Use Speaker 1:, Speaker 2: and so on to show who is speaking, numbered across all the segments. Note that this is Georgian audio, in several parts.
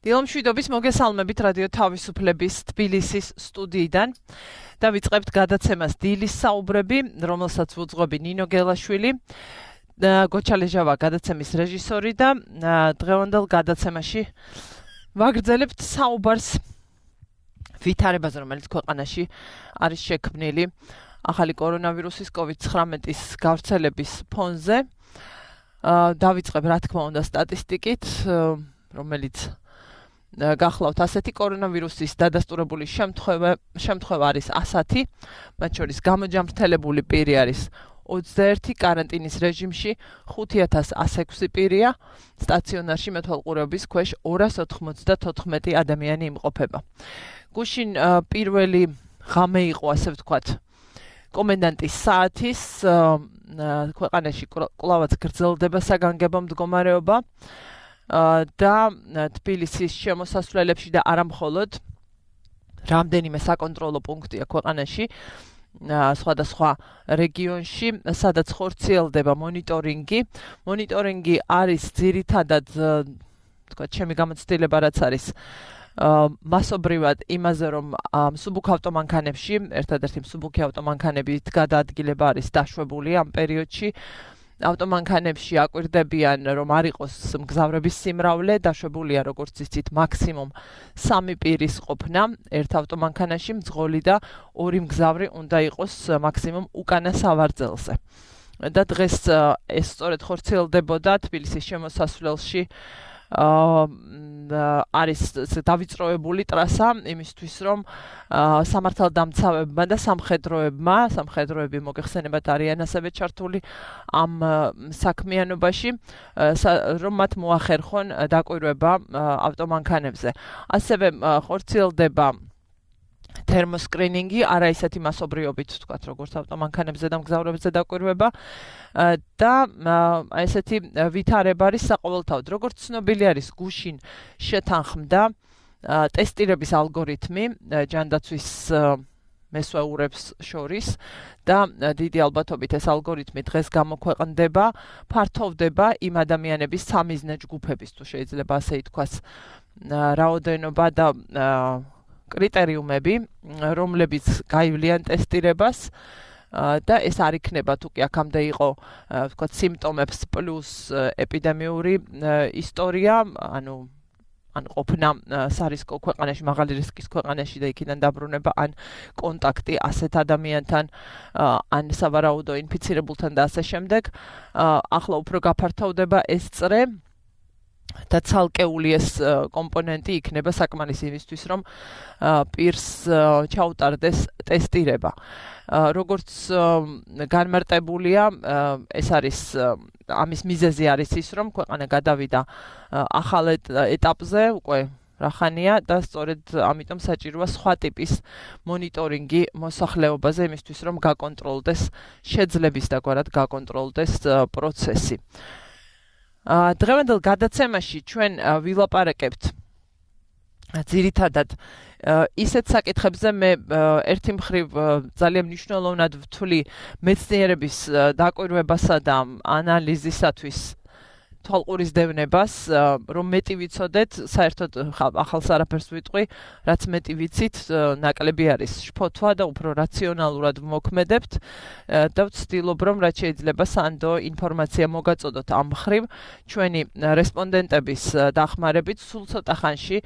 Speaker 1: დილომშვიდობის მოგესალმებით რადიო თავისუფლების თბილისის სტუდიიდან და ვიწყებთ გადაცემას დილის საუბრები, რომელსაც ვუძღვები ნინო გელაშვილი, გოჩალეჟავა გადაცემის რეჟისორი და დღევანდელ გადაცემაში ვაგრძელებთ საუბარს ვითარებაზე, რომელიც ქვეყანაში არის შექმნილი ახალი კორონავირუსის COVID-19-ის გავრცელების ფონზე. დავიწყებ რა თქმა უნდა სტატისტიკით, რომელიც გახლავთ ასეთი კორონავირუსის დადასტურებული შემთხვევა არის 100, მათ შორის გამოჯამრთელებული პირი არის 21, კარანტინის რეჟიმში 5106 პირია, სტაციონარში მეთვალყურეობის ქვეშ 294 ადამიანი იმყოფება. გუშინ პირველი ღამე იყო, ასე ვთქვათ, კომენდანტის საათის, ქვეყანაში კვლავაც გრძელდება საგანგებო მდგომარეობა და თბილისის შემოსასვლელებში და არა მხოლოდ რამდენიმე საკონტროლო პუნქტია ქვეყანაში, სხვადასხვა რეგიონში, სადაც ხორციელდება მონიტორინგი. მონიტორინგი არის ძირითადად, თქვათ, ჩემი გამოცდილება რაც არის მასობრივად იმაზე, რომ მსუბუქ ავტომანქანებში, ერთადერთი მსუბუქი ავტომანქანებით გადაადგილება არის დაშვებული ამ პერიოდში. ავტომანქანებში აკვირდებიან, რომ არ იყოს მგზავრების სიმრავლე, დაშვებულია, როგორც იცით, მაქსიმუმ 3 პირის ყოფნა ერთ ავტომანქანაში, მძღოლი და 2 მგზავრი უნდა იყოს მაქსიმუმ უკანა სავარძელზე. და დღეს ეს სწორედ ხორციელდებოდა თბილისის შემოსასვლელში. არის დავიწროებული ტრასა იმისთვის, რომ სამართალდამცავებმა და სამხედროები მოგეხსენებათ არიან ასევე ჩართული ამ საქმიანობაში, რომ მათ მოახერხონ დაკვირვება ავტომანქანებზე. ასევე ხორციელდება თერმოსკრინინგი, არა ისეთი მასობრიობით, თქვათ, როგორც ავტომანქანებზე და მგზავრებზე დაკვირვება და ესეთი ვითარება არის საყოველთაოდ. როგორც ცნობილი არის, გუშინ შეთანხმდა ტესტირების ალგორითმი ჯანდაცვის მესვეურებს შორის და დიდი ალბათობით ეს ალგორითმი დღეს გამოქვეყნდება, ფართოვდება იმ ადამიანების სამიზნე ჯგუფების, თუ შეიძლება ასე ითქვას, რაოდენობა და კრიტერიუმები, რომლებიც გაივლიან ტესტირებას და ეს არ იქნება თუ კი აქამდე იყო, ვთქვათ, სიმპტომებს პლუს ეპიდემიური ისტორია, ანუ ყოფნა სარისკო ქვეყანაში, მაღალი რისკის ქვეყანაში და იქიდან დაბრუნება, ან კონტაქტი ასეთ ადამიანთან, ან სავარაუდო ინფიცირებულთან და ასე შემდეგ. ახლა უფრო გაფართოვდება ეს წრე და ცალკეული ეს კომპონენტი იქნება საკმარისი იმისთვის, რომ პირს ჩაუტარდეს ტესტირება. როგორც განმარტებულია, ეს არის ამის მიზეზი არის ის, რომ ქვეყანა გადავიდა ახალ ეტაპზე, უკვე რახანია და სწორედ ამიტომ საჭიროა სხვა ტიპის მონიტორინგი მოსახლეობაზე იმისთვის, რომ გაკონტროლდეს შეძლების და გვარად გაკონტროლდეს პროცესი. დღევანდელ გადაცემაში ჩვენ ვილაპარაკებთ ძირითადად ისეთ საკითხებზე, მე ერთი მხრივ ძალიან მნიშვნელოვნად ვთვლი მეცნიერების დაკვირვებასა და ანალიზისათვის თვალყურის დევნებას, რომ მეტი ვიცოდეთ, საერთოდ ახალს არაფერს ვიტყვი, რაც მეტი ვიცით, ნაკლები არის შფოთვა და უფრო რაციონალურად ვმოქმედებთ და ვცდილობ, რომ რაც შეიძლება სანდო ინფორმაცია მოგაწოდოთ ამ მხრივ. ჩვენი რესპონდენტების დახმარებით სულ ცოტა ხანში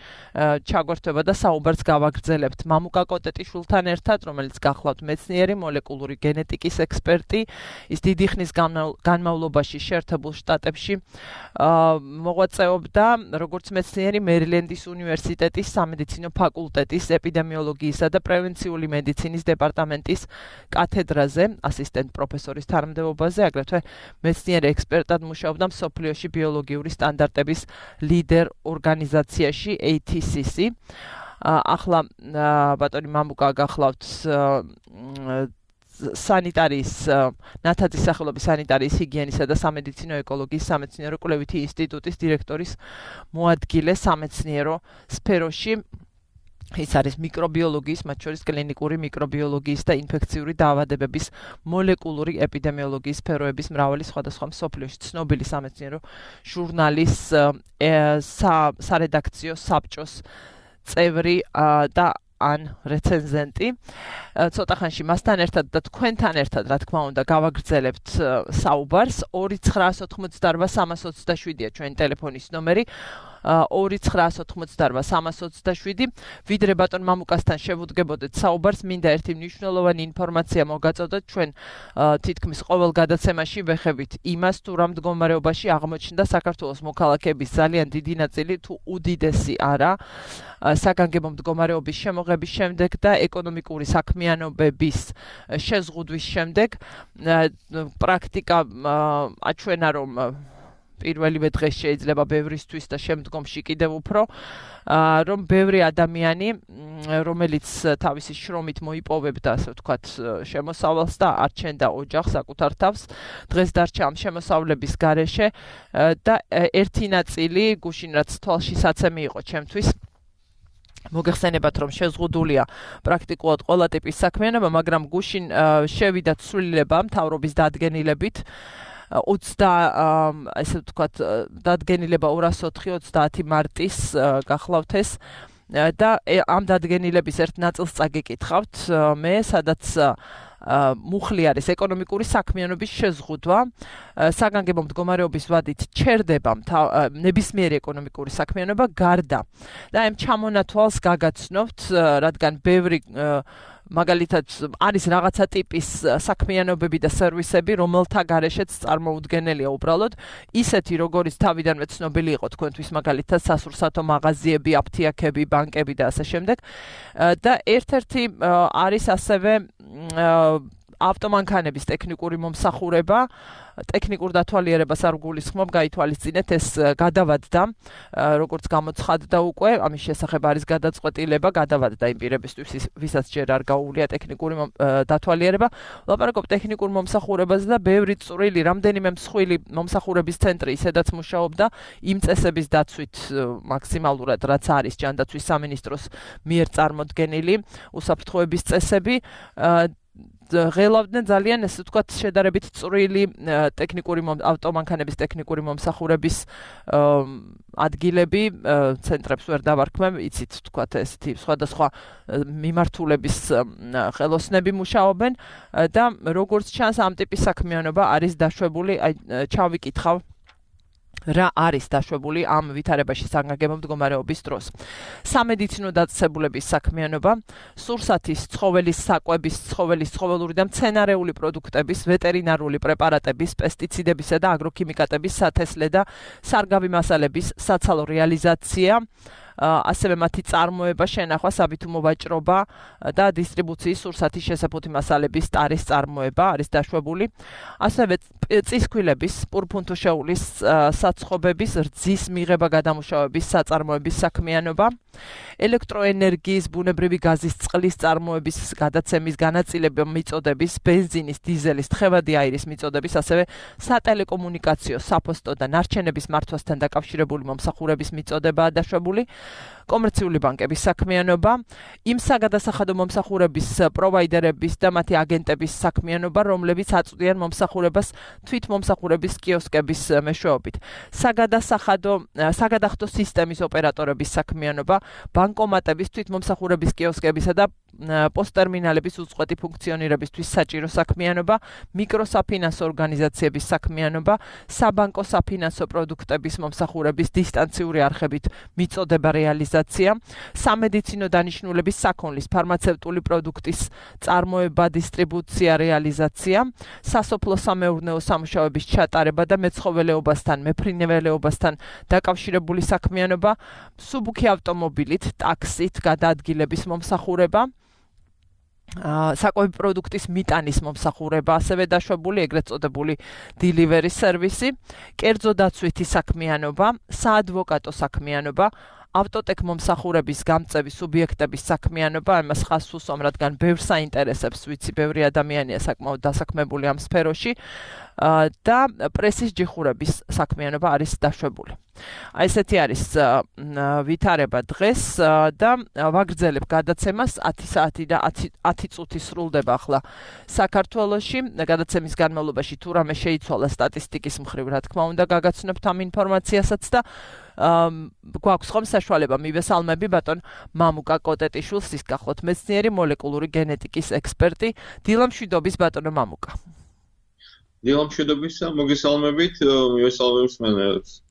Speaker 1: ჩაგვერთვება და საუბარს გავაგრძელებთ მამუკა კოტეტიშვილთან ერთად, რომელიც გახლავთ მეცნიერი, მოლეკულური გენეტიკის ექსპერტი, ის დიდი ხნის განმავლობაში შეერთებულ შტატებში მოღვაწეობდა როგორც მეცნიერი მერილენდის უნივერსიტეტის სამედიცინო ფაკულტეტის ეპიდემიოლოგიისა და პრევენციული მედიცინის დეპარტამენტის კათედრაზე, ასისტენტ პროფესორის თანამდებობაზე, აგრეთვე მეცნიერი ექსპერტად მუშაობდა მსოფლიოში ბიოლოგიური სტანდარტების ლიდერ ორგანიზაციაში ATCC. ახლა ბატონი მამუკა გახლავთ სანიტარიის ნათაძის სახელობის სანიტარიის ჰიგიენისა და სამედიცინო ეკოლოგიის სამეცნიერო კვლევითი ინსტიტუტის დირექტორის მოადგილე სამეცნიერო სფეროში. ის არის მიკრობიოლოგიის, მათ შორის კლინიკური მიკრობიოლოგიის და ინფექციური დაავადებების მოლეკულური ეპიდემიოლოგიის სფეროების მრავალი სხვადასხვა მსოფლიოში ცნობილი სამეცნიერო ჟურნალის სარედაქციო საბჭოს წევრი და ან რეცენზენტი. ცოტა ხანში მასთან ერთად და თქვენთან ერთად, რა თქმა უნდა, გავაგრძელებთ საუბარს. 2988327-ია ჩვენი ტელეფონის ნომერი. 2988327. ვიდრე ბატონ მამუკასთან შევუდგებოდეთ საუბარს, მინდა ერთი მნიშვნელოვანი ინფორმაცია მოგაწოდოთ. ჩვენ თითქმის ყოველ გადაცემაში ვეხებით იმას, თუ რა მდგომარეობაში აღმოჩნდა საქართველოს მოქალაქეების ძალიან დიდი ნაწილი, თუ უდიდესი არა, საგანგებო მდგომარეობის შემოღების შემდეგ და ეკონომიკური საქმიანობების შეზღუდვის შემდეგ. პრაქტიკა აჩვენა, რომ პირველივე დღეს შეიძლება ბევრისთვის და შემდგომში კიდევ უფრო, რომ ბევრი ადამიანი, რომელიც თავისი შრომით მოიპოვებდა, ასე ვთქვათ, შემოსავალს და არჩენდა ოჯახს საკუთარ თავს, დღეს დარჩა ამ შემოსავლების გარეშე და ერთი ნაწილი, გუშინ რაც თვალში საცემი იყო ჩემთვის, მოგეხსენებათ, რომ შეზღუდულია პრაქტიკულად ყველა ტიპის საქმიანობა, მაგრამ გუშინ შევიდა ცვლილება მთავრობის დადგენილებით, ესე ვთქვათ, დადგენილება 204-30 მარტის გახლავთ ეს და ამ დადგენილების ერთ ნაწილს წაგიკითხავთ მე, სადაც მუხლი არის ეკონომიკური საქმიანობის შეზღუდვა, საგანგებო მდგომარეობის ვადით ჩერდება ნებისმიერი ეკონომიკური საქმიანობა გარდა და ამ ჩამონათვალს გაგაცნობთ, რადგან ბევრი მაგალითად არის რაღაცა ტიპის საქმიანობები და სერვისები, რომელთა გარეშეც წარმოუდგენელია უბრალოდ ისეთი, როგორიც თავიდანვე ცნობილი იყო თქვენთვის, მაგალითად სასურსათო მაღაზიები, აფთიაქები, ბანკები და ასე შემდეგ. და ერთ-ერთი არის ასევე ავტომანქანების ტექნიკური მომსახურება, ტექნიკურ დათვალიერებას არ გულისხმობ, გაითვალისწინეთ, ეს გადავადდა, როგორც გამოცხადდა უკვე, ამის შესახებ არის გადაწყვეტილება, გადავადდა იმ პირებისთვის, ვისაც ჯერ არ გაუვლია ტექნიკური დათვალიერება. ვლაპარაკობ ტექნიკურ მომსახურებაზე და ბევრი წვრილი, რამდენიმე მსხვილი მომსახურების ცენტრი ისედაც მუშაობდა იმ წესების დაცვით მაქსიმალურად, რაც არის ჯანდაცვის სამინისტროს მიერ წარმოდგენილი უსაფრთხოების წესები. ღელავდნენ ძალიან, ესე ვთქვათ, შედარებით წვრილი ავტომანქანების ტექნიკური მომსახურების ადგილები, ცენტრებს ვერ დავარქმევ, იცით, ვთქვათ, ესეთი სხვადასხვა მიმართულების ხელოსნები მუშაობენ და როგორც ჩანს, ამ ტიპის საქმიანობა არის დაშვებული, ჩავიკითხავ რა არის დაშვებული ამ ვითარებაში საგანგებო მდგომარეობის დროს. სამედიცინო დაწესებულების საქმიანობა, სურსათის, ცხოველის საკვების, ცხოველური და მცენარეული პროდუქტების, ვეტერინარული პრეპარატების, პესტიციდებისა და აგროქიმიკატების სათესლე და სარგავი მასალების საცალო რეალიზაცია, ასევე მათი წარმოება, შენახვა, საბითუმო ვაჭრობა და დისტრიბუციის სურსათის შესაფუთი მასალების ტარის წარმოება არის დაშვებული. ასევე წისქვილების, პურფუნთუშეულის საცხობების, რძის მიღება გადამუშავების საწარმოების საქმიანობა, ელექტროენერგიის, ბუნებრივი გაზის, წყლის წარმოების, გადაცემის, განაწილება მიწოდების, ბენზინის, დიზელის, თხევადი აირის მიწოდების, ასევე სატელეკომუნიკაციო, საფოსტო და ნარჩენების მართვასთან დაკავშირებული მომსახურების მიწოდებაა დაშვებული. კომერციული ბანკების საქმიანობა, იმ საგადასახადო მომსახურების პროვაიდერების და მათი აგენტების საქმიანობა, რომლებიც აწვდიან მომსახურებას თვითმომსახურების კიოსკების მეშვეობით. საგადახდო სისტემის ოპერატორების საქმიანობა, ბანკომატების, თვითმომსახურების კიოსკებისა და პოსტერმინალების უწყვეტი ფუნქციონირებისთვის საჭირო საქმიანობა, მიკროსაფინანსო ორგანიზაციების საქმიანობა, საბანკო საფინანსო პროდუქტების მომსახურების დისტანციური არხებით მიწოდება რეალიზაცია, სამედიცინო დანიშნულების საქონლის, ფარმაცევტული პროდუქტის წარმოება, დისტრიბუცია, რეალიზაცია, სასოფლო-სამეურნეო სამუშაოების ჩატარება და მეცხოველეობასთან, მეფრინველეობასთან დაკავშირებული საქმიანობა, მსუბუქი ავტომობილით, ტაქსით გადაადგილების მომსახურება, საკვები პროდუქტის მიტანის მომსახურება, ასევე დაშვებული ეგრეთ წოდებული delivery სერვისი, კერძო დაცვითი საქმიანობა, საადვოკატო საქმიანობა, ავტოტეკ მომსახურების გამწევი სუბიექტების საქმიანობა ამას ხაზს უსვამ, რადგან ბევრს აინტერესებს, ვიცი, ბევრი ადამიანია საკმაოდ დასაქმებული ამ სფეროში და პრესის ჯიხურების საქმიანობა არის დაშვებული. Აი ესეთი არის ვითარება დღეს და ვაგრძელებ გადაცემას 10 საათი და 10 წუთი სრულდება ახლა საქართველოში. გადაცემის განმავლობაში თუ რამე შეიცვალა სტატისტიკის მხრივ, რა თქმა უნდა, გაგაცნობთ ამ ინფორმაციასაც და გვაქვს ხომ საშუალება მივესალმები ბატონ მამუკა კოტეტიშვილს, ის გახლავთ მეცნიერი მოლეკულური გენეტიკის ექსპერტი. დილა მშვიდობის ბატონო მამუკა.
Speaker 2: დილა მშვიდობისა, მოგესალმებით, მივესალმებს მენელებს.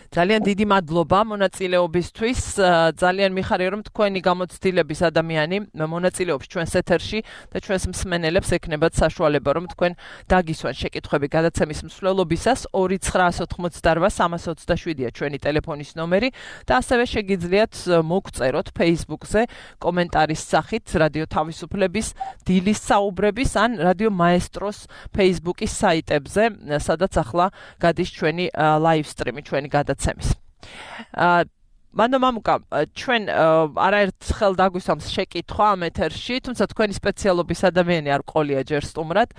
Speaker 1: ძალიან დიდი მადლობა მონაწილეობისთვის. ძალიან მიხარია რომ თქვენი გამოცდილების ადამიანი მონაწილეობს ჩვენს ეთერში და ჩვენს მსმენელებს ექნებათ საშუალება რომ თქვენ დაგისვან შეკითხვები გადაცემის მსვლელობისას 2988327-ია ჩვენი ტელეფონის ნომერი და ასევე შეგიძლიათ მოგწეროთ Facebook-ზე კომენტარის სახით რადიო თავისუფლების დილის საუბრების ან რადიო მაესტროს Facebook-ის საიტებზე, სადაც ახლა გადის ჩვენი live stream-ი, ჩვენი გადაცემა. მანდ მამუკა, ჩვენ არაერთხელ დაგვისვამს შეკითხვა ამ ეთერში, თუმცა თქვენი სპეციალობის ადამიანი არ ყოლია ჯერ სტუმრად,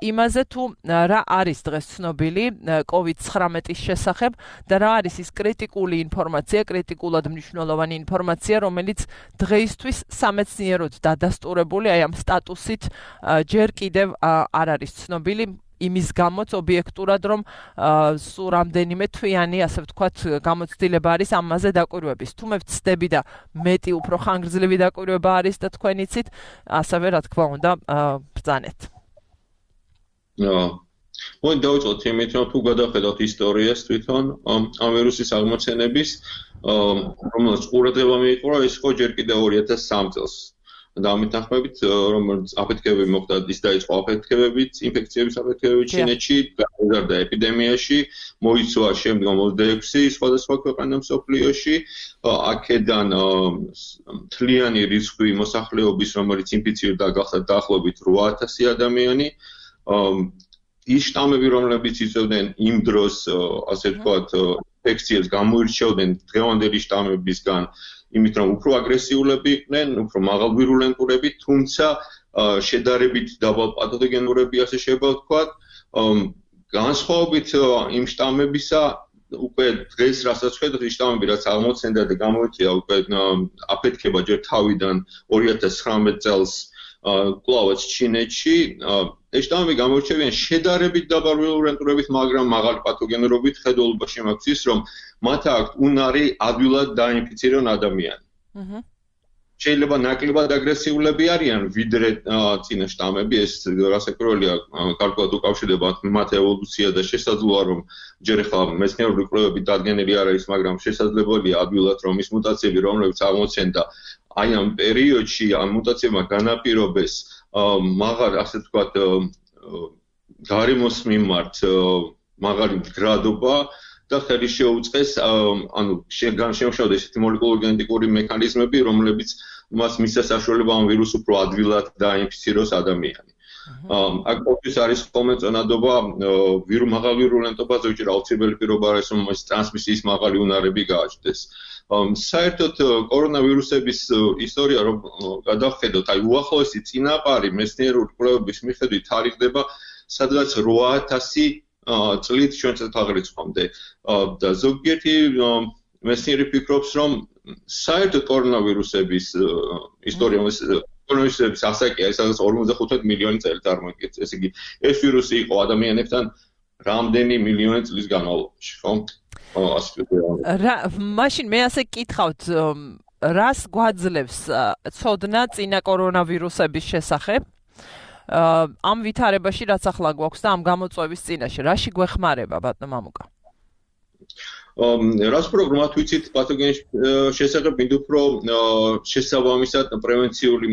Speaker 1: იმაზე თუ რა არის დღეს ცნობილი COVID-19-ის შესახებ და რა არის ის კრიტიკული ინფორმაცია, კრიტიკულად მნიშვნელოვანი ინფორმაცია, რომელიც დღეისთვის სამეცნიეროდ დადასტურებული, აი ამ სტატუსით ჯერ კიდევ არ არის ცნობილი. იმის გამოც ობიექტურად რომ სულ რამდენიმე თვიანი, ასე ვთქვათ, გამოცდილება არის ამაზე დაკვირვების. თუ მე ვცდები და მეტი უფრო ხანგრძლივი დაკვირვება არის და თქვენ იცით, ასევე რა თქმა უნდა, ბრძანეთ.
Speaker 2: მოდი დავიწყოთ იმით, რომ თუ გადავხედავთ ისტორიას თვითონ ამ ვირუსის აღმოცენების, რომელიც ყურადღება მიიპყრო, ეს იყო ჯერ კიდევ 2003 წელს. და ამით ნახმებით, რომ აფეთქებები მოხდა, ის დაიწყო აფეთქებებით, ინფექციების აფეთქებებით ჩინეთში, გაიზარდა ეპიდემიაში, მოიცვა შემდგომ 26 სხვადასხვა ქვეყანა მსოფლიოში, აქედან მთლიანი რიცხვი მოსახლეობის, რომელიც ინფიცირდა, გახდა დაახლოებით 8000 ადამიანი. ის შტამები, რომლებიც იწვევდნენ იმ დროს, ასე ვთქვათ, ინფექციებს გამოირჩევდნენ დღევანდელი შტამებისგან, იმით რომ უფრო აგრესიულები იყვნენ, უფრო მაღალვირულენტურები, თუმცა შედარებით დაბალ პათოგენურები, ასე შეიძლება ვთქვათ. განსხვავებით იმ შტამებისა, უკვე დღეს რასაც ხედავთ, ის შტამები რაც აღმოცენდა და გამოიწვია უკვე აფეთქება ჯერ თავიდან 2019 წელს კვლავაც ჩინეთში, ეს შტამები გამოირჩევიან შედარებით დაბალ ვირულენტურობით, მაგრამ მაღალი პათოგენურობით. ხედულობაში მაქვს ის, რომ მათ აქვთ უნარი ადვილად დაინფიცირონ ადამიანი. შეიძლება ნაკლებად აგრესიულები არიან ვიდრე წინა შტამები, ეს რასაკვირველია, გარკვეულად უკავშირდება მათ ევოლუცია და შესაძლოა რომ ჯერ ახლა მეცნიერული კვლევები დადგენილი არ არის, მაგრამ შესაძლებელია ადვილად რომ ის მუტაციები, რომლებიც აღმოცენდა აი ამ პერიოდში, ამ მუტაციებმა განაპირობეს მაღალ, ასე ვთქვათ, გარემოს მიმართ მაღალი მდგრადობა და ხელი შეუწყეს, ანუ შემოშალდა ესეთი მოლეკულური გენეტიკური მექანიზმები, რომლებიც მას მისცა საშუალება ამ ვირუსს უფრო ადვილად დაინფიციროს ადამიანი. აქ ყოველთვის არის ხოლმე წონადობა მაღალ ვირულენტობა, ზოგჯერ აუცილებელი პირობა არის, რომ ეს ტრანსმისიის მაღალი უნარები გააჩნდეს. საერთოდ კორონავირუსების ისტორია რომ გადავხედოთ, აი უახლოესი წინაპარი მეცნიერული კვლევების მიხედვით თარიღდება სადღაც 8000 წლით ჩვენს თაღრიცხვამდე და ზოგიერთი მეცნიერი ფიქრობს, რომ საერთოდ კორონავირუსების ისტორია კორონავირუსების ასაკია სადღაც 55 მილიონი წელი წარმოიდგენს. ესე იგი, ეს ვირუსი იყო ადამიანებთან რამდენი მილიონი წლის განმავლობაში, ხო?
Speaker 1: მაშინ მე ასე კითხავთ, რას გვაძლევს ცოდნა წინა კორონავირუსების შესახებ? ამ ვითარებაში რაც ახლა გვაქვს და ამ გამოწვევის წინაშე, რაში გვეხმარება ბატონო მამუკა?
Speaker 2: რას პროგრამად ვიცით პათოგენის შესახებ, მით უფრო შესაბამისად პრევენციული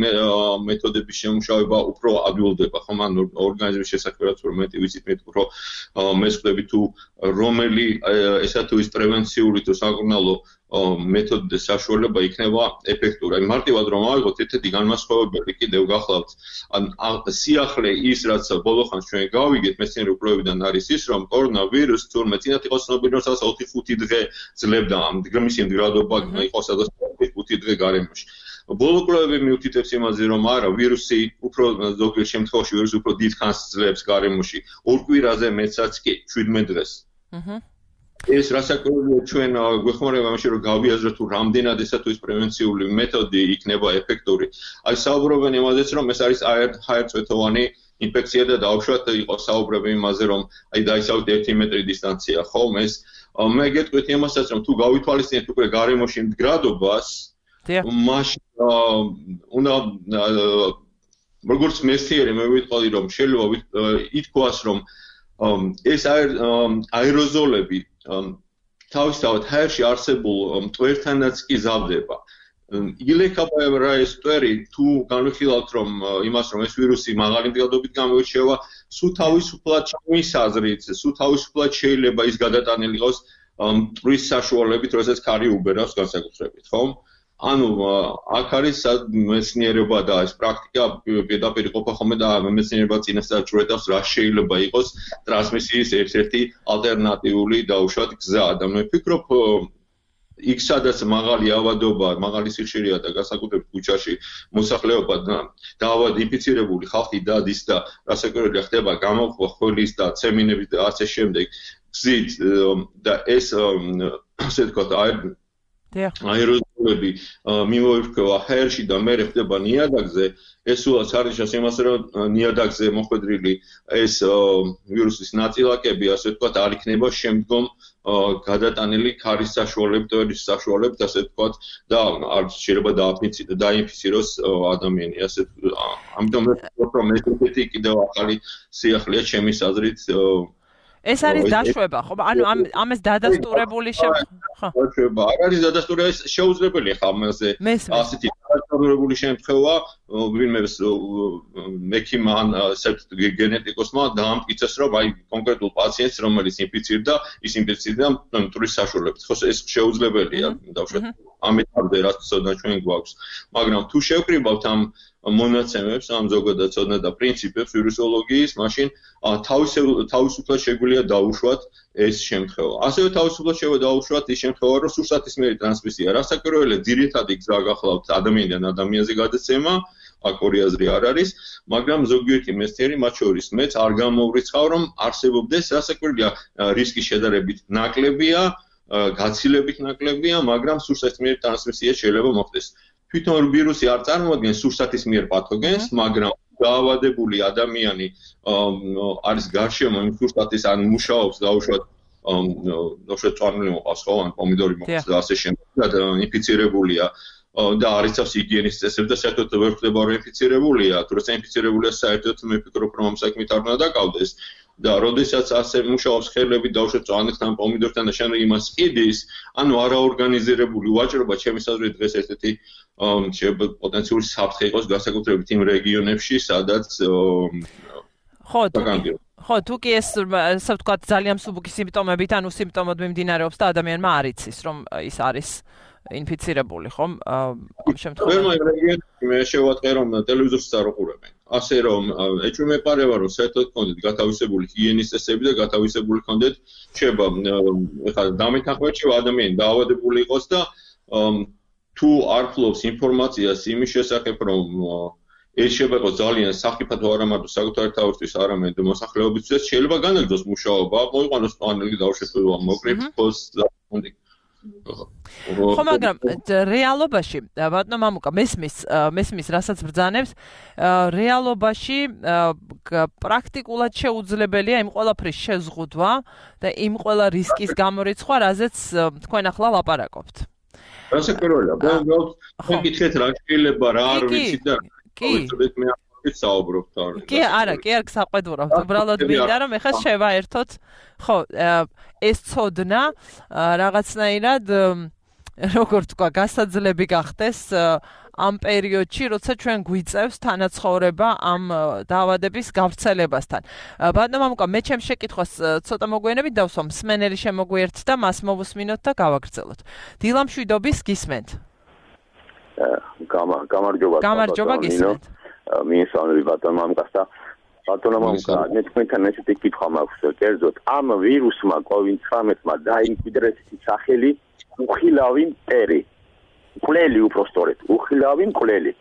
Speaker 2: მეთოდების შემუშავება უფრო ადვილდება, ხომ? ან ორგანიზმის შესაქმედაც უფრო მეტი ვიცით, მით უფრო მესწრები თუ რომელი ესა თუ ის პრევენციული თუ საკურნალო მეთოდთა საშუალება იქნება ეფექტური. მარტივად რომ ავიღოთ ერთ-ერთი განმასხვავებელი კიდევ გახლავთ, ან სიახლე ის რაც ბოლოხანს ჩვენ გავიგეთ მეცნიერი კვლევებიდან არის ის, რომ კორონავირუსი თურმე წინათ იყო ცნობილი, რომ 4-5 დღე ძლევდა, მისი მდგრადობა იყო სადაც 5 დღე გარემოში. ბოლო კვლევები მიუთითებს იმაზე, რომ არა, ვირუსი უფრო ზოგიერთ შემთხვევაში ვირუსი უფრო დიდ ხანს ძლებს გარემოში, 2 კვირაზე მეცაც კი 17 დღეს. ეს რასაკვირველია ჩვენ გვეხმარება ამაში რომ გავიაზროთ თუ რამდენად ესა თუ ის პრევენციული მეთოდი იქნება ეფექტური. აი საუბრობენ იმაზეც რომ ეს არის ჰაერწვეთოვანი ინფექცია და დაუშვათ იყო საუბრები იმაზე რომ აი დაისავთ 1 მეტრი დისტანცია, ხო? ეს მე გეტყვით იმასაც რომ თუ გავითვალისწინებთ უკვე გარემოში მდგრადობას, მაშინ უნდა როგორც მეცნიერი მე ვიტყოდი რომ შეიძლება ითქვას რომ ეს აეროზოლები თავისთავად ჰაერში არსებულ მტვერთანაც კი ზავდება. ილექება ეს მტვერი თუ განვიხილავთ რომ იმას რომ ეს ვირუსი მაღალი მდგრადობით გამოირჩევა, სულ თავისუფლად ჩემის აზრით, სულ თავისუფლად შეიძლება ის გადატანილი იყოს მტვრის საშუალებით, როდესაც ქარი უბერავს განსაკუთრებით, ხო? ანუ აქ არის მეცნიერება და ეს პრაქტიკა პირდაპირ იყოფა ხოლმე და მეცნიერება წინასწარ ჯვრეტავს რა შეიძლება იყოს ტრანსმისიის ერთ-ერთი ალტერნატიული დაუშვათ გზა და მე ვფიქრობ იქ სადაც მაღალი ავადობა, მაღალი სიხშირეა და განსაკუთრებით ქუჩაში მოსახლეობა დაავად ინფიცირებული ხალხი დადის და რასაკვირველია ხდება გამოხვა ხოლის და ცემინების და ასე შემდეგ გზით და ეს ასე ვთქვათ აეროზოლები მიმოირჩევა ჰაერში და მერე ხდება ნიადაგზე, ეს სულაც არის იმას რომ ნიადაგზე მოხვედრილი ეს ვირუსის ნაწილაკები, ასე ვთქვათ, არ იქნება შემდგომ გადატანილი ქარის საშუალებით, ტვერის საშუალებით, ასე ვთქვათ, და არ შეიძლება დაინფიციროს ადამიანი, ასე ამიტომ რომ ეს კიდევ ახალი სიახლეა ჩემის აზრით
Speaker 1: ეს არის დაშვება, ხო? ანუ ამას დადასტურებული
Speaker 2: ხო? დაშვება. არ არის დადასტურება, შეუძლებელია ხა ამაზე. ასეთი დადასტურებული შემთხვევა, ვინმეს მექიმმა ან გენეტიკოსმა დაამტკიცეს, რომ აი კონკრეტულ პაციენტს, რომელიც ინფიცირდა, ის ინფიცირდა მტვრის საშუალებით. ხო, ეს შეუძლებელია, დავშვათ. ამეთამდე რაც ცოდნა ჩვენ გვაქვს. მაგრამ თუ შევკრიბავთ ამ მონაცემებს, ამ ზოგადად ცოდნა და პრინციპებს ვირუსოლოგიის, მაშინ თავისუფლად შეგვიძლია დაუშვათ ეს შემთხვევა. ასევე თავისუფლად შეგვიძლია დაუშვათ ის შემთხვევა, რომ სურსათისმიერი ტრანსმისია. რასაკვირველია, ძირითადი გზა გახლავთ ადამიანიდან ადამიანზე გადაცემა, აქ ორი აზრი არ არის, მაგრამ ზოგიერთი მეცნიერი, მათ შორის მეც არ გამოვრიცხავ, რომ არსებობდეს რასაკვირველია რისკი შედარებით ნაკლებია, გაცილებით ნაკლებია, მაგრამ სურსათისმიერი ტრანსმისია შეიძლება მოხდეს. თვითონ ვირუსი არ წარმოადგენს სურსათისმიერ პათოგენს, მაგრამ დაავადებული ადამიანი არის გარშემო იმ სურსათის ან მუშაობს დაუშვათ წვანული მოყავს ხო ან პომიდორი მოყავს და ასე შემდეგ და ინფიცირებულია და არ იცავს ჰიგიენის წესებს და საერთოდ ვერ ხდება რომ ინფიცირებულია, თუ როცა ინფიცირებულია საერთოდ მე ვფიქრობ რომ ამ საქმით არ უნდა დაკავდეს და როდესაც ასე მუშაობს ხელები დაუშვათ წვანებთან, პომიდორთან და შემდეგ იმას ყიდის, ანუ არაორგანიზირებული ვაჭრობა ჩემის აზრით დღეს ერთ-ერთი შეიძლება პოტენციური საფრთხე იყოს განსაკუთრებით იმ რეგიონებში, სადაც
Speaker 1: ხო, თუ კი ეს ასე ვთქვათ ძალიან მსუბუქი სიმპტომებით, ანუ სიმპტომად მიმდინარეობს და ადამიანმა არ იცის, რომ ის არის ინფიცირებული, ხომ? ამ შემთხვევაში
Speaker 2: მე შევატყე რომ ტელევიზორს არ უყურებენ. ასე რომ ეჭვმეპარება რომ საერთოდ კონდეთ გათავისებული ჰიგიენის წესები და გათავისებული კონდეთ შეიძლება ეხლა დამეთანხმებით შევა ადამიანი დაავადებული იყოს და თუ არ ფლობს ინფორმაციას იმის შესახებ რომ ეს შეიძლება იყოს ძალიან სახიფათო არა მარტო საკუთარი თავისთვის, არამედ მოსახლეობისთვის შეიძლება განაგრძოს მუშაობა, მოიყვანოს პანელი დაუშვებია მოკრიფოს და
Speaker 1: ხო, მაგრამ რეალობაში, ბატონო მამუკა, მესმის, რასაც ბრძანებს, რეალობაში პრაქტიკულად შეუძლებელია იმ ყველაფრის შეზღუდვა და იმ ყველა რისკის გამორიცხვა, რაზეც თქვენ ახლა ლაპარაკობთ.
Speaker 2: რასაკვირველია, მე გითხეთ რა შეიძლება, რა არ ვიცით და მე საუბრობთ არ.
Speaker 1: კი, არა, კი არ გსაყვედურობთ. უბრალოდ მინდა რომ ეხლა შევაერთოთ, ხო, ეს ცოდნა რაღაცნაირად როგორ თქვა, გასაძლები გახდეს ამ პერიოდში, როცა ჩვენ გვიწევს თანაცხოვრება ამ დაავადების გავრცელებასთან. ბატონო მამუკა, მე ჩემს შეკითხვას ცოტა მოგვიანებით დავსვამ, მსმენელი შემოგვიერთდა, მას მოვუსმინოთ და გავაგრძელოთ. დილა მშვიდობის გისმენთ. გამარჯობა გისმენთ.
Speaker 3: მინსავნები ბატონო მამუკას და ბატონო მამუკა, მე თქვენთან ესეთი კითხვა მაქვს, კერძოდ ამ ვირუსმა COVID-19-მა დაიმკვიდრეს სახელი უხილავი მტერი. მკვლელი უпроსტორეთ, უხილავი მკვლელი.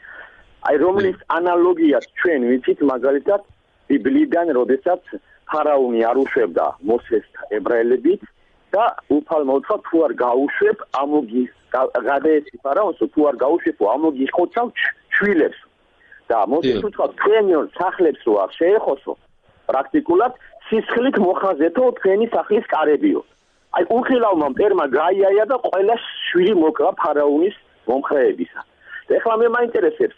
Speaker 3: აი რომლის ანალოგიას ჩვენ ვიცით მაგალითად ბიბლიიდან, როდესაც ფარაონი არ უშვებდა მოსეს ებრაელებით და უფალმა უთხრა თუ არ გაუშვებ ამოგი გადაეცი ფარაონს თუ არ გაუშვებ ამოგი ხოცავ შვილებს. და მოსეს უთხრა თქვენ სახლებს რო არ შეეხოსო პრაქტიკულად სისხლით მოხაზეთო თქვენი სახლის კარებიო. აი უხილავმა მტერმა გაიაია და ყველა შვილი მოკლა ფარაონის მომხრეებისა. ეხლა მე მაინტერესებს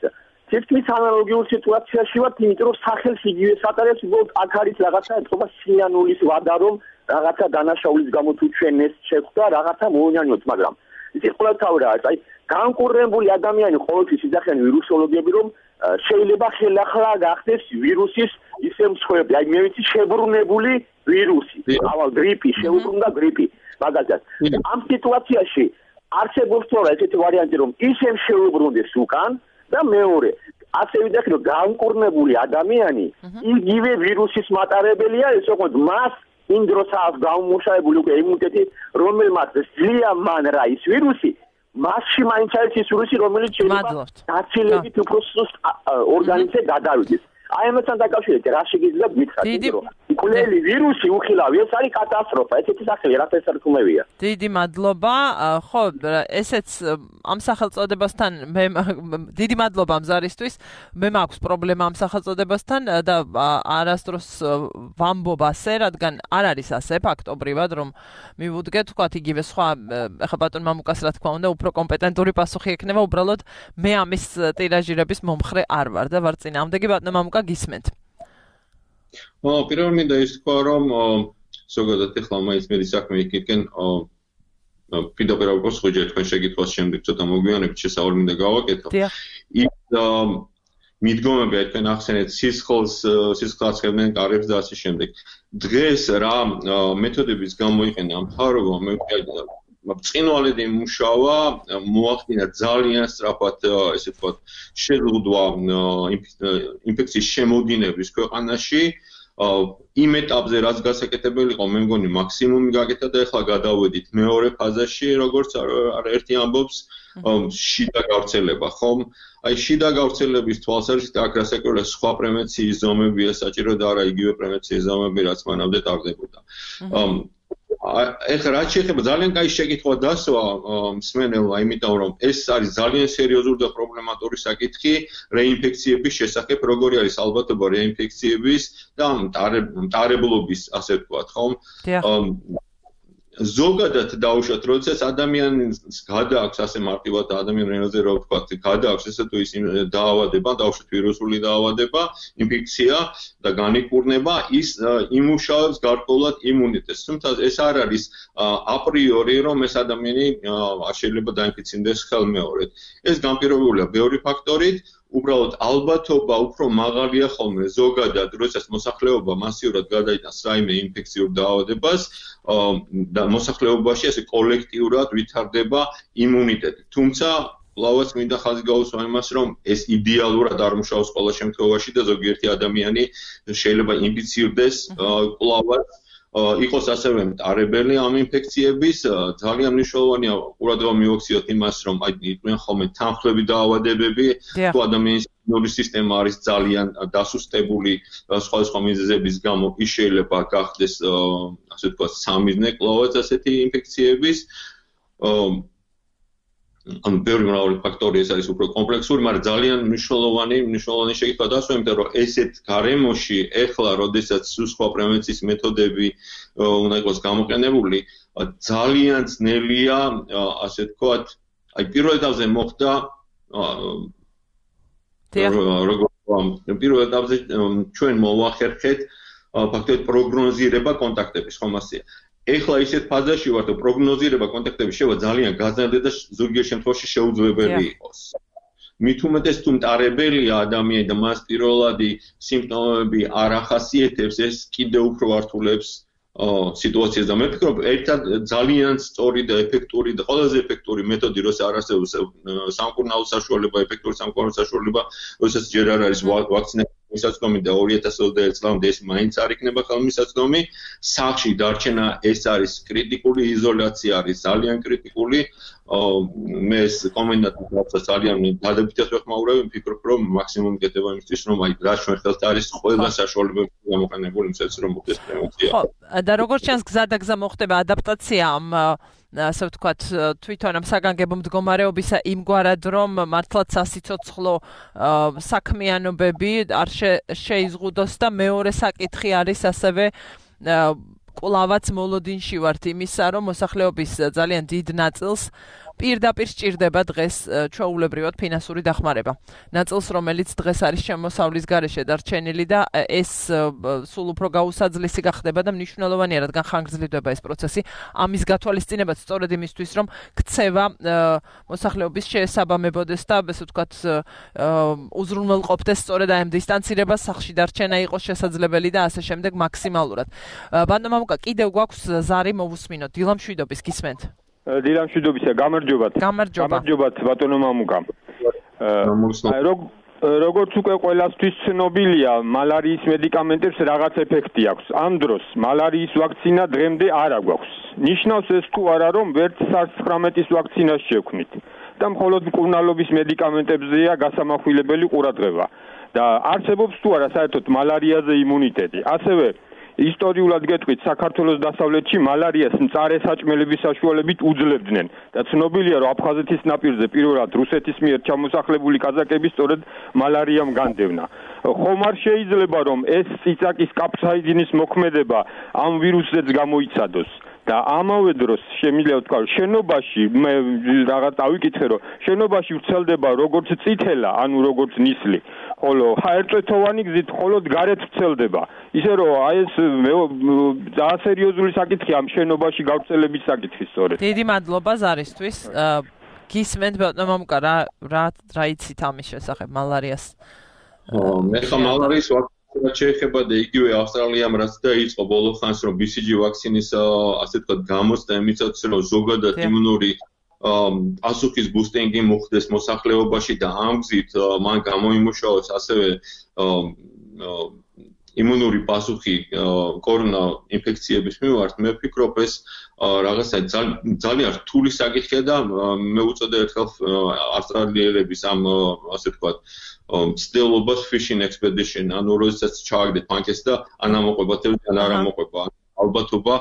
Speaker 3: თითქმის ანალოგიურ სიტუაციაში ვართ, იმიტომ რომ სახელს იგივე სატარებს, უბრალოდ აქ არის რაღაცა ეთქობა სიანულის ვადა, რომ რაღაცა დანაშაულის გამო თუ ჩვენ ეს შეხვდა, რაღაცა მოუნიანოთ, მაგრამ იცი ყოველთავი რა არის, აი განკურნებული ადამიანი ყოველთვის იძახიან ვირუსოლოგები, რომ შეიძლება ხელახლა გახდეს ვირუსის ისე მსხვერპლი, აი მე ვიცი შებრუნებული ვირუსი, ავალ გრიპი, შეუბრუნდა გრიპი, მაგალითად. ამ სიტუაციაში არსებობს თორე ესეთი ვარიანტი, რომ ისე შეუბრუნდეს უკან და მეორე, ასე ვიდექი, რომ განკურნებული ადამიანი იგივე ვირუსის მატარებელია, ეს ოღონდ მას იმ დროს აქვს გამომუშავებული უკვე იმუნიტეტი, რომელმაც ძლია მან რა ის ვირუსი, მასში მაინც არის ის ვირუსი, რომელიც შეიძლება დაცილებით უფრო სუსტ ორგანიზმზე გადავიდეს. აი ამასთან დაკავშირებით რა შეგიძლია გითხრათ, რომ მკვლელი ვირუსი უხილავი, ეს არის კატასტროფა, ესეთი სახელი რა თესარქმევია.
Speaker 1: დიდი მადლობა. ხო, ესეც ამ სახელწოდებასთან მე დიდი მადლობა მზარისთვის. მე მაქვს პრობლემა ამ სახელწოდებასთან და არასდროს ვამბობ ასე, რადგან არ არის ასე ფაქტობრივად, რომ მივუდგეთ, თქვათ იგივე სხვა, ეხლა ბატონ მამუკას რა თქმა უნდა, უფრო კომპეტენტური პასუხი ექნება, უბრალოდ მე ამის ტირაჟირების მომხრე არ ვარ და ვარ წინააღმდეგი. ბატონ მამუკა გისმენთ.
Speaker 2: პირველად მინდა ის თქვა, რომ ზოგადად ეხლა მაინც მედი საქმე იქიდან პირდაპირ გავხსოვე თქვენ შეკითხვას შემდეგ ცოტა მოგვიანებით შესაძლოა მინდა გავაკეთო. ის მიდგომები თქვენ ახსენეთ სისხლს აცხებდნენ კარებს და ასე შემდეგ. დღეს რა მეთოდებიც გამოიყენა მხარობა მე ბრწყინვალედ იმუშავა, მოახდინა ძალიან სწრაფად, ესე ვთქვათ, შეზღუდვა ინფექციის შემოდინების ქვეყანაში. იმ ეტაპზე რაც გასაკეთებელი იყო, მე მგონი მაქსიმუმი გაკეთა და ეხლა გადავედით მეორე ფაზაში, როგორც ერთი ამბობს, შიდა გავრცელება, ხომ? აი შიდა გავრცელების თვალსაზრისით აქ რასაკვირველია სხვა პრევენციის ზომებია საჭირო და არა იგივე პრევენციის ზომები, რაც მანამდე ტარდებოდა. ეხლა რაც შეეხება ძალიან კაი შეკითხვა დასვა მსმენელმა, იმიტომ რომ ეს არის ძალიან სერიოზული და პრობლემატური საკითხი რეინფექციების შესახებ, როგორი არის ალბათობა რეინფექციების და მტარებლობის, ასე ვთქვათ, ხომ? ზოგადად დაუშვათ, როდესაც ადამიანს გადააქვს ასე მარტივად ადამიანებზე რა ვთქვათ, გადააქვს ესე თუ ის დაავადება, დაუშვათ ვირუსული დაავადება, ინფექცია და განიკურნება, ის იმუშავებს გარკვეულად იმუნიტეტს. თუმცა ეს არ არის აპრიორი, რომ ეს ადამიანი შეიძლება დაინფიცინდეს ხელმეორედ. ეს განპირობებულია ბევრი ფაქტორით. უბრალოდ ალბათობა უფრო მაღალია ხოლმე ზოგადად, როდესაც მოსახლეობა მასიურად გადაიტანს რაიმე ინფექციურ დაავადებას და მოსახლეობაში ასე კოლექტიურად ვითარდება იმუნიტეტი. თუმცა კვლავაც მინდა ხაზი გაუსვა იმას, რომ ეს იდეალურად არ მუშაობს ყველა შემთხვევაში და ზოგიერთი ადამიანი შეიძლება ინფიცირდეს კვლავაც იყოს ასევე მტარებელი ამ ინფექციების. ძალიან მნიშვნელოვანია ყურადღება მივაქციოთ იმას, რომ აი იყვნენ ხოლმე თანხლები დაავადებები, თუ ადამიანის იმუნური სისტემა არის ძალიან დასუსტებული სხვადასხვა მიზეზების გამო, ის შეიძლება გახდეს ასე ვთქვათ სამიზნე კვლავაც ასეთი ინფექციების. ან ბევრი მრავალი ფაქტორი ეს არის უფრო კომპლექსური, მაგრამ ძალიან მნიშვნელოვანი შეკითხვა დასვა, იმიტომ რომ ესეთ გარემოში ეხლა, როდესაც სხვა პრევენციის მეთოდები უნდა იყოს გამოყენებული, ძალიან ძნელია, ასე ვთქვათ, აი პირველ ეტაპზე მოხდა პირველ ეტაპზე ჩვენ მოვახერხეთ ფაქტობრივად პროგნოზირება კონტაქტების, ხომ ასეა. ეხლა ისეთ ფაზაში ვართ, რომ პროგნოზირება კონტაქტების შევა ძალიან გაზრდა და ზოგიერთ შემთხვევაში შეუძლებელი იყოს. მით უმეტეს თუ მტარებელია ადამიანი და მას პირველადი სიმპტომები არ ახასიათებს, ეს კიდევ უფრო ართულებს სიტუაციას და მე ვფიქრობ, ერთად ძალიან სწორი და ეფექტური და ყველაზე ეფექტური მეთოდი, როცა არ არსებობს სამკურნალო საშუალება, ეფექტური სამკურნალო საშუალება, როდესაც ჯერ არ არის ვაქცინაციის მისაწვდომი და 2021 წლამდე ეს მაინც არ იქნება ხელმისაწვდომი, სახლში დარჩენა ეს არის კრიტიკული, იზოლაცია არის ძალიან კრიტიკული. მე ეს კომენდანტს ძალიან დადებითად ვეხმაურებ, ვფიქრობ, რომ მაქსიმუმი გეტება იმისთვის, რომ აი რა ჩვენ ხელთ არის ყველა საშუალებები გამოყენებული იმისათვის, რომ მოხდეს პრევენცია.
Speaker 1: ხო, და როგორც ჩანს გზადაგზა მოხდება ადაპტაცია ამ ასე ვთქვათ, თვითონ ამ საგანგებო მდგომარეობისა იმგვარად, რომ მართლაც სასიცოცხლო საქმიანობები არ შეიზღუდოს და მეორე საკითხი არის ასევე კვლავაც მოლოდინში ვართ იმისა, რომ მოსახლეობის ძალიან დიდ ნაწილს პირდაპირ სჭირდება დღეს ჩვეულებრივად ფინანსური დახმარება. ნაწილს, რომელიც დღეს არის შემოსავლის გარეშე დარჩენილი და ეს სულ უფრო გაუსაძლისი გახდება და მნიშვნელოვანია, რადგან ხანგრძლივდება ეს პროცესი. ამის გათვალისწინებაც სწორედ იმისთვის, რომ ქცევა მოსახლეობის შეესაბამებოდეს და ასე ვთქვათ, უზრუნველყოფდეს სწორედ აი ამ დისტანცირებას, სახლში დარჩენა იყოს შესაძლებელი და ასე შემდეგ მაქსიმალურად. ბატონო მამუკა, კიდევ გვაქვს ზარი მოვუსმინოთ. დილა მშვიდობის, გისმენთ?
Speaker 4: დილა მშვიდობისა, გამარჯობათ. გამარჯობათ ბატონო მამუკა. როგორც უკვე ყველასთვის ცნობილია, მალარიის მედიკამენტებს რაღაც ეფექტი აქვს. ამ დროს მალარიის ვაქცინა დღემდე არ აგვაქვს. ნიშნავს ეს თუ არა, რომ ვერც SARS-19-ის ვაქცინას შევქმნით და მხოლოდ მკურნალობის მედიკამენტებზეა გასამახვილებელი ყურადღება. და არსებობს თუ არა საერთოდ მალარიაზე იმუნიტეტი. ასევე ისტორიულად გეტყვით, საქართველოს დასავლეთში მალარიას მწარე საჭმელების საშუალებით უძლებდნენ და ცნობილია, რომ აფხაზეთის ნაპირზე პირველად რუსეთის მიერ ჩამოსახლებული კაზაკები სწორედ მალარიამ განდევნა. ხომ არ შეიძლება, რომ ეს წიწაკის კაფსაიძინის მოქმედება ამ ვირუსზეც გამოიცადოს? და ამავე დროს შემიძლია ვთქვა, შენობაში მე რაღაც დავიკითხე, რომ შენობაში ვრცელდება როგორც წითელა, ანუ როგორც ნისლი, ხოლო ერთწლოვანი გზით მხოლოდ გარეთ ვრცელდება. ისე რომ აი ეს ძალიან სერიოზული საკითხია ამ შენობაში გავრცელების საკითხი სწორედ.
Speaker 1: დიდი მადლობა ზარისთვის. გისმენთ ბატონო მამუკა, რა იცით ამის შესახებ მალარიას?
Speaker 2: მე ხა მალარიის რაც შეეხება და იგივე ავსტრალიამ რაც დაიწყო ბოლო ხანს, რომ BCG ვაქცინის ასე ვთქვათ გამოცდა იმისათვის, რომ ზოგადად იმუნური პასუხის ბუსტინგი მოხდეს მოსახლეობაში და ამ გზით მან გამოიმუშაოს ასევე იმუნური პასუხი კორონა ინფექციების მიმართ. მე ვფიქრობ, ეს რაღაცა ძალიან რთული საკითხია და მე უწოდე ერთხელ ავსტრალიელების ამ ასე ვთქვათ ცდილობას fishing expedition, ანუ როდესაც ჩააგდეთ პანკეს და ან ამოყვება თევზი, ან არ ამოყვება. ალბათობა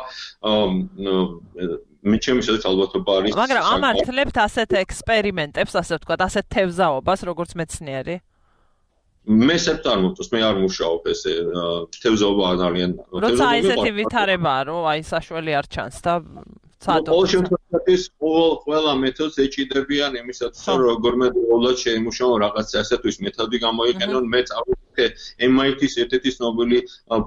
Speaker 2: მე ჩემი შესაძლოა ალბათობა არის.
Speaker 1: მაგრამ ამართლებთ ასეთ ექსპერიმენტებს, ასე ვთქვათ, ასეთ თევზაობას, როგორც მეცნიერი?
Speaker 2: მე სერტ არ მომწონს, მე არ მუშაობ ესე თევზაობა ძალიან.
Speaker 1: როცა ესეთი ვითარებაა, რომ აი საშველი არ ჩანს და
Speaker 2: ყოველ შემთხვევაში ყველა მეთოდს ეჭიდებიან იმისათვის, რომ როგორმე ყოველად შეიმუშაონ რაღაცა ასეთის მეთოდი გამოიყენონ. მე წავიდე MIT-ის ერთ-ერთი ცნობილი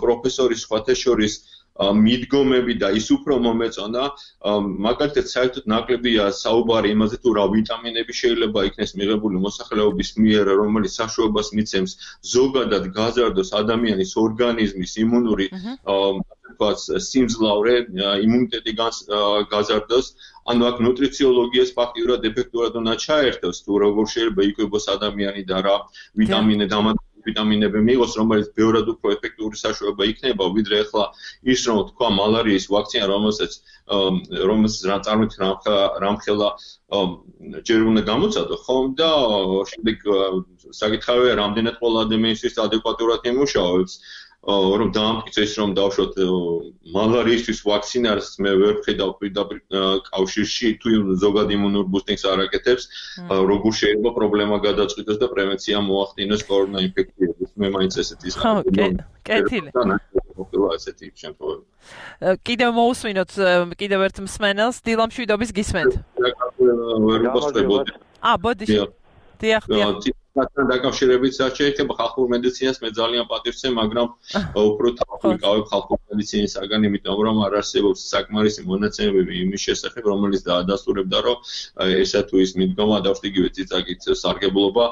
Speaker 2: პროფესორის სხვათა შორის მიდგომები და ის უფრო მომეწონა, მაგალითად საერთოდ ნაკლებია საუბარი იმაზე, თუ რა ვიტამინები შეიძლება იქნეს მიღებული მოსახლეობის მიერ, რომელიც საშუალებას მიცემს ზოგადად გაზარდოს ადამიანის ორგანიზმის იმუნური სიმძლავრე, იმუნიტეტი გაზარდოს. ანუ აქ ნუტრიციოლოგიას ფაქტიურად ეფექტურად უნდა ჩაერთოს, თუ როგორ შეიძლება იკვებოს ადამიანი და რა ვიტამინები მიიღოს, რომელიც ბევრად უფრო ეფექტური საშუალება იქნება, ვიდრე ახლა ის რომ თქვა მალარიის ვაქცინა, რომელსაც წარმოიდგინეთ რამხელა ჯერ უნდა გამოცადო, ხომ და შემდეგ საკითხავია, რამდენად ყველა ადამიანისთვის ადეკვატურად იმუშავებს. რომ დაამტკიცეს, რომ დავშოთ მალარიისთვის ვაქცინას, მე ვერ ვხედავ პირდაპირ კავშირში, თუ ზოგად იმუნურ ბუსტინგს არ აკეთებს, როგორ შეიძლება პრობლემა გადაწყვიტოს და პრევენცია მოახდინოს კორონა ინფექციების. მე მაინც ესეთი
Speaker 1: კეთილი.
Speaker 2: ესეთი შემთხვევები.
Speaker 1: კიდევ მოусმინოთ კიდევ ერთ მსმენელს, დილა მშვიდობის, გისმენთ?
Speaker 2: ვერ ვუსწრებოდი.
Speaker 1: ბოდიში. დიახ.
Speaker 2: მათთან დაკავშირებით რაც შეეხება ხალხურ მედიცინას მე ძალიან პატივცემ, მაგრამ უფრო თავი გავებ ხალხურ მედიცინისაგან, იმიტომ რომ არ არსებობს საკმარისი მონაცემები იმის შესახებ, რომელიც დაადასტურებდა, რომ ესა თუ ის მიდგომა და იგივე წიწაკით სარგებლობა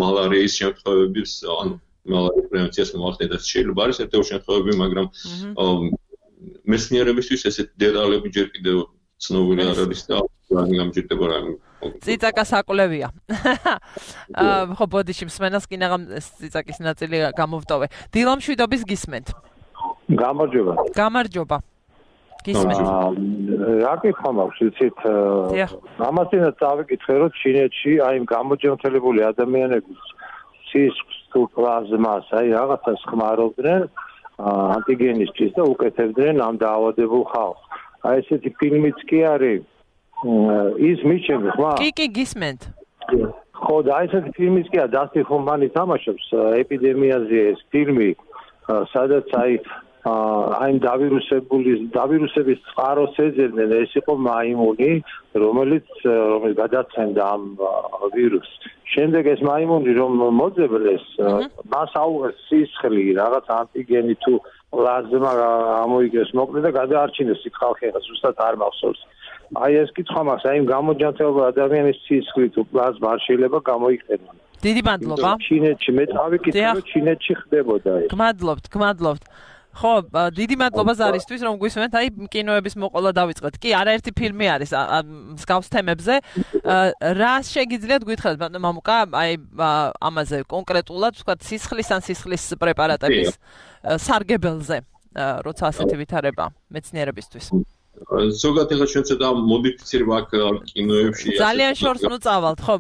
Speaker 2: მალარიის შემთხვევების, ანუ მალარიის პრევენციას მოახდენდა შეიძლება არის ერთ-ერთი შემთხვევები, მაგრამ მეცნიერებისთვის ესეთი დეტალები ჯერ კიდევ ცნობილი არ არის და გამჭირდება რა.
Speaker 1: წიწაკა საკვლევია. ხო, ბოდიში მსმენელს კი ნაღამ წიწაკის ნაწილი გამოვტოვე. დილამშვიდობის გისმენთ. გამარჯობა. გისმენთ.
Speaker 5: რა კითხვა მაქვს, იცით? ამასთანაც წავიკითხე, რომ ჩინეთში აი იმ გამოჯანმრთელებული ადამიანების სისხლს თუ პლაზმას აი რაღაცას ხმარობდნენ ანტიგენისთვის და უკეთებდნენ ამ დაავადებულ ხალხს. აი ესეთი ფილმიც კი არის ის მიჩნევს ხმა?
Speaker 1: კი გისმენთ.
Speaker 5: ხო, და აი ესეთი ფილმიც კი არის, დასტინ ჰოფმანი თამაშობს ეპიდემიაზე ეს ფილმი, სადაც აი დავირუსების წყაროს ეძებდნენ, ეს იყო მაიმუნი, რომელიც გადაცემდა ამ ვირუსს. შემდეგ ეს მაიმუნი რომ მოძებნეს, მას აუღეს სისხლი, რაღაც ანტიგენი თუ პლაზმა ამოიგეს მოკლე და გადაარჩინეს იქ ხალხი, ზუსტად არ მახსოვს. აი ეს კითხვა მაქვს, აი იმ გამოჯანმრთელებული ადამიანის სისხლი თუ პლაზმა არ შეიძლება გამოიყენონ.
Speaker 1: დიდი მადლობა.
Speaker 5: ჩინეთში მე წავიკითხე, რომ ჩინეთში ხდებოდა ეს.
Speaker 1: გმადლობთ. ხო, დიდი მადლობა ზარისთვის, რომ გვისმენთ, აი კინოების მოყოლა დავიწყეთ. კი, არაერთი ფილმი არის მსგავს თემებზე. რა შეგიძლიათ გითხრათ, ბატონო მამუკა, აი ამაზე კონკრეტულად, ვთქვათ, სისხლის ან სისხლის პრეპარატების სარგებელზე, როცა ასეთი ვითარება მეცნიერებისთვის.
Speaker 2: ზოგადად ახლა ჩვენ ცოტა მოდიფიცირება აქ კინოებში
Speaker 1: ძალიან შორს ნუ წავალთ, ხო?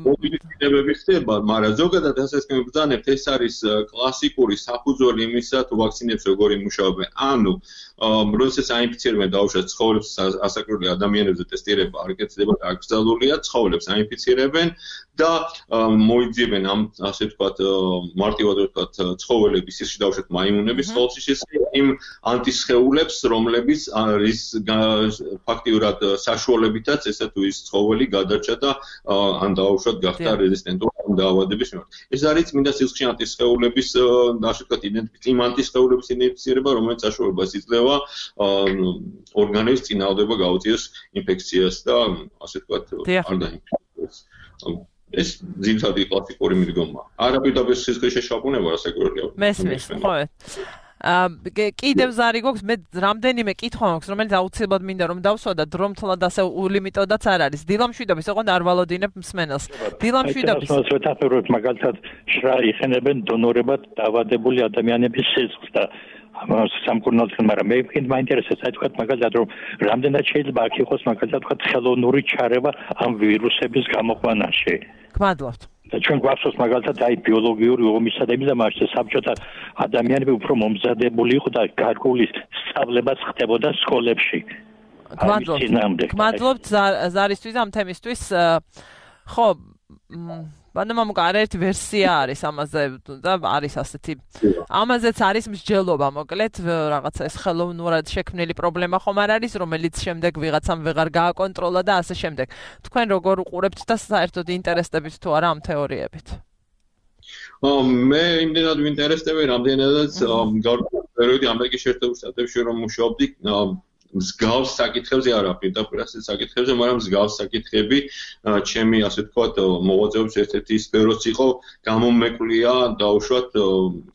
Speaker 2: მოდიფიცირებები ხდება, მაგრამ ზოგადად ასე ვბრძანებთ, ეს არის კლასიკური საფუძველი იმისა, თუ ვაქცინებს როგორ იმუშავებენ. ანუ როდესაც აინფიცირებენ დაუშვათ ცხოველებს, ასაკრული ადამიანებზე ტესტირება არ კეთდება, აკრძალულია, ცხოველებს აინფიცირებენ და მოიძიებენ ამ ასე ვთქვათ მარტივად ვთქვათ ცხოველების ისე დაუშვათ მაიმუნების ხოლმე იმ ანტისხეულებს, რომლებიც არის ფაქტიურად საშუალებითაც ესა თუ ის ცხოველი გადარჩა და ან დაუშვათ გახდა რეზისტენტური ამ დაავადების მიმართ. ეს არის წმინდა სისხლში ანტისხეულების ასე ვთქვათ იმ ანტისხეულების იდენტიფიცირება, რომელიც საშუალებას იძლევა ორგანიზმს წინააღმდება გაუწიოს ინფექციას და ასე ვთქვათ არ დაინფიცირდეს. ეს ძირითადი კლასიკური მიდგომა. არაპირდაპირ სისხლის შეშაპუნება რასაკვირველია.
Speaker 1: მესმის, ხო. კიდევ ზარი გვაქვს, მე რამდენიმე კითხვა მაქვს, რომელიც აუცილებლად მინდა რომ დავსვა და დრომთლად ასე ულიმიტოდაც არ არის. დილამშვიდობის, ოღონდ არ ვალოდინებ მსმენელს. დილამშვიდობის.
Speaker 6: ვეთანხმებთ მაგალითად შრა იხენებენ დონორებად დაავადებული ადამიანების სისხლს და სამკურნალოთგან, მაგრამ მე მაინტერესებს აი თქვათ მაგალითად რომ რამდენად შეიძლება აქ იყოს მაგალითად თქვათ ხელოვნური ჩარევა ამ ვირუსების გამოყვანაში.
Speaker 1: გმადლობთ.
Speaker 6: და ჩვენ გვახსოვს მაგალითად აი ბიოლოგიური ომისა და იმის ამაშე საბჭოთა ადამიანები უფრო მომზადებული იყო და გარკვეული სწავლებაც ხდებოდა სკოლებში.
Speaker 1: გმადლობთ ზარისთვის ამ თემისთვის. ხო, ბატონო მამუკა, არაერთი ვერსია არის ამაზე და არის ასეთი. ამაზეც არის მსჯელობა, მოკლედ, რაღაცა ეს ხელოვნურად შექმნილი პრობლემა ხომ არ არის, რომელიც შემდეგ ვიღაცამ ვეღარ გააკონტროლა და ასე შემდეგ. თქვენ როგორ უყურებთ და საერთოდ ინტერესდებით თუ არა ამ თეორიებით?
Speaker 2: მე იმდენად ვინტერესდები, რამდენადაც გარკვეული ამერიკის შეერთებულ შტატებში რომ მუშაობდი, მსგავს საკითხებზე არა პირდაპირ ასეთ საკითხებზე, მაგრამ მსგავს საკითხები ჩემი ასე ვთქვათ მოღვაწეობის ერთ-ერთი სფეროც იყო გამომეკლია დაუშვათ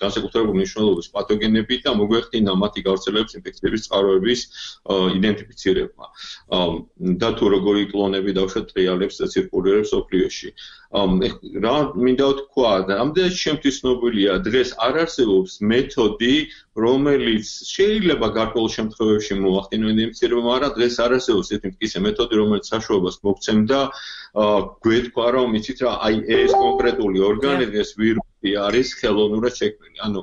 Speaker 2: განსაკუთრებული მნიშვნელობის პათოგენები და მოგვეხდინა მათი გავრცელების ინფექციების წყაროების იდენტიფიცირება და თუ როგორი კლონები დაუშვათ ტრიალებს და ცირკულირებს ოფლიოში. რა მინდა ვთქვა, ამდენად ჩემთვის ცნობილია, დღეს არ არსებობს მეთოდი, რომელიც შეიძლება გარკვეულ შემთხვევებში მოახდინო ინფექცირება, მაგრამ დღეს არ არსებობს ერთი მტკიცე მეთოდი, რომელიც საშუალებას მოგცემდა გვეთქვა, რომ იცით რა, აი ეს კონკრეტული ორგანიზმი, ეს ვირუსი არის ხელოვნურად შექმნილი. ანუ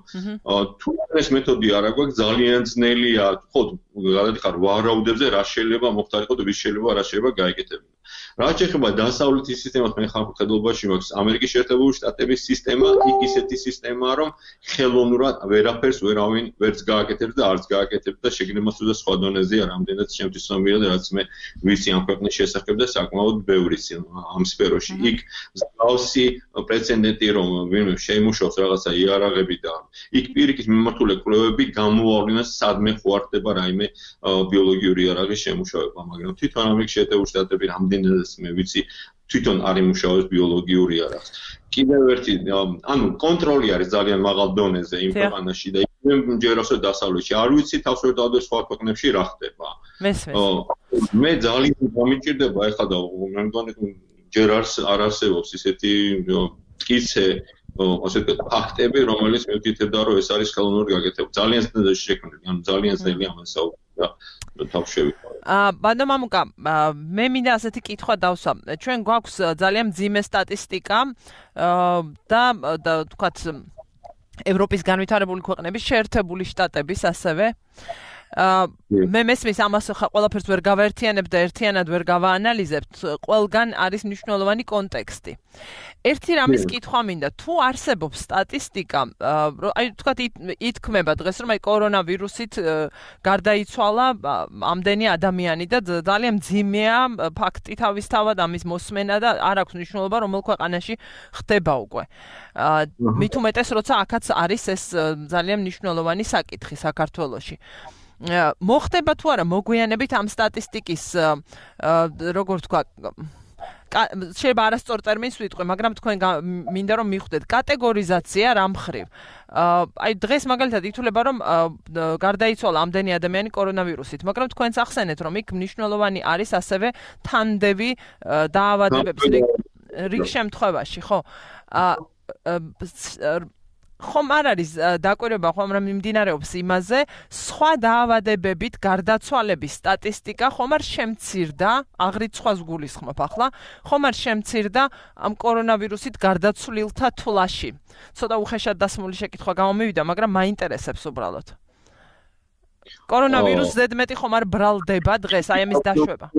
Speaker 2: თუ ეს მეთოდი არ აქვს, ძალიან ძნელია, ხო, გადადიხარ ვარაუდებზე, რა შეიძლება მოხდარიყო და ვის შეიძლება რა შეიძლება გაეკეთებინა. რაც შეეხება დასავლეთის სისტემას, მე ხალხმხედობაში მაქვს ამერიკის შეერთებული შტატების სისტემა, იქ ისეთი სისტემაა, რომ ხელოვნურად ვერაფერს ვერავინ ვერც გააკეთებს და არც გააკეთებს და შეგნებას და სხვა დონეზეა, რამდენად შემთხვევით ცნობილია და რაც მე ვიცი ამ ქვეყნის შესახებ და საკმაოდ ბევრი ამ სფეროში. იქ მსგავსი პრეცედენტი რომ ვინმე შეიმუშაოს რაღაცა იარაღები და იქ პირიქით მიმართული კვლევები გამოავლინეს სადმე ხوارდება რაიმე ბიოლოგიური იარაღის შემუშავება, მაგრამ თვითონ ამერიკის შეერთებული შტატები რამდენადაც მე ვიცი თვითონ არ იმუშავებს ბიოლოგიურ იარაღს. კიდევ ერთი ანუ კონტროლი არის ძალიან მაღალ დონეზე იმ ქვეყანაში და ჯეროსო დასავლეთში არ ვიცი თავს ვერ დავდე სხვა ქვეყნებში რა ხდება. მე ძალიან გამიჭირდება ეხლა და მე მგონი ჯერ არ არსებობს ისეთი მტკიცე ასე ვთქვათ ფაქტები რომელიც მივკითხებდა რომ ეს არის ხელოვნური გაკეთება. ძალიან ძნელია შექმნილი, ანუ ძალიან ძნელია ამას საუბარი. თავს შევიყვანე.
Speaker 1: ბანდა მამუკა, მე მინდა ასეთი კითხვა დავსვა. ჩვენ გვაქვს ძალიან მძიმე სტატისტიკა და ვთქვათ ევროპის განვითარებული ქვეყნების შეერთებული შტატების ასევე მე მესმის ამას ყველაფერს ვერ გავაერთიანებ და ერთიანად ვერ გავაანალიზებთ, ყველგან არის მნიშვნელოვანი კონტექსტი. ერთი რამის კითხვა მინდა, თუ არსებობს სტატისტიკა, აი ვთქვათ ითქმება დღეს რომ აი კორონავირუსით გარდაიცვალა ამდენი ადამიანი და ძალიან მძიმეა ფაქტი თავისთავად ამის მოსმენა და არ აქვს მნიშვნელობა რომელ ქვეყანაში ხდება უკვე. მით უმეტეს როცა აქაც არის ეს ძალიან მნიშვნელოვანი საკითხი საქართველოში. მოხდება თუ არა მოგვიანებით ამ სტატისტიკის როგორ ვთქვა შეიძლება არასწორ ტერმინს ვიტყვი, მაგრამ თქვენ მინდა რომ მიხვდეთ კატეგორიზაცია რა მხრივ. აი დღეს მაგალითად ითვლება რომ გარდაიცვალა ამდენი ადამიანი კორონავირუსით, მაგრამ თქვენც ახსენეთ რომ იქ მნიშვნელოვანი არის ასევე თანდევი დაავადებების რიგ შემთხვევაში, ხო? ხომ არ არის დაკვირვება ხომ რა მიმდინარეობს იმაზე, სხვა დაავადებებით გარდაცვალების სტატისტიკა ხომ არ შემცირდა, აღრიცხვას გულისხმობ ახლა, ხომ არ შემცირდა ამ კორონავირუსით გარდაცვლილთა თვლაში. ცოტა უხეშად დასმული შეკითხვა გამომივიდა, მაგრამ მაინტერესებს უბრალოდ. კორონავირუსს ზედმეტი ხომ არ ბრალდება დღეს აი ამის დაშვება?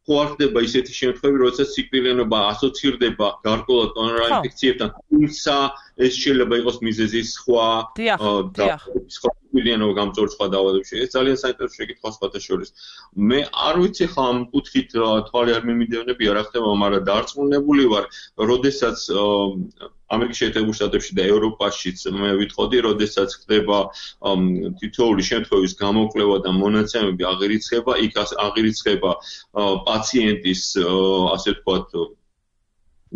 Speaker 2: ხوارდება ისეთი შემთხვევები, როდესაც სიკვდილიანობა ასოცირდება გარკვეულად კორონა ინფექციებთან, თუმცა ეს შეიძლება იყოს მიზეზი სხვა სიკვდილიანობა გამწვავ სხვა დაავადებებში. ეს ძალიან საინტერესო შეკითხვა სხვათა შორის. მე არ ვიცი ხა ამ კუთხით თვალი არ მიმიდევნებია რა ხდება, მაგრამ დარწმუნებული ვარ, როდესაც ამერიკის შეერთებულ შტატებში და ევროპაშიც მე ვიტყოდი, როდესაც ხდება თითოეული შემთხვევის გამოკვლევა და მონაცემები აღირიცხება, იქ აღირიცხება პაციენტის ასე ვთქვათ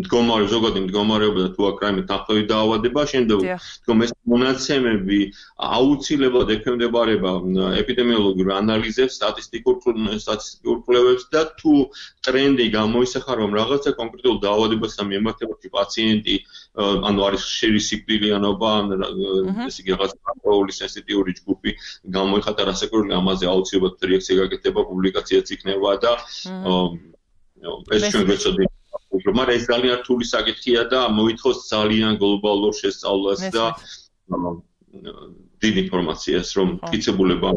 Speaker 2: ზოგადი მდგომარეობა და თუ აქ რაიმე თანხმდეტი დაავადება, შემდეგ თქო ეს მონაცემები აუცილებლად ექვემდებარება ეპიდემიოლოგიურ ანალიზებს, სტატისტიკურ კვლევებს და თუ ტრენდი გამოისახა, რომ რაღაცა კონკრეტულ დაავადებასთან მიმართებაში პაციენტი ანუ არის ხშირი სიკვდილიანობა, ესე იგი რაღაც პროული სენსიტიური ჯგუფი გამოიხატა რასაკვირველია, ამაზე აუცილებლად რეაქცია გაკეთება, პუბლიკაციაც იქნება და ეს ჩვენ გვეცოდი მაგრამ ეს ძალიან რთული საკითხია და მოითხოვს ძალიან გლობალურ შესწავლას და დიდ ინფორმაციას, რომ მტკიცებულება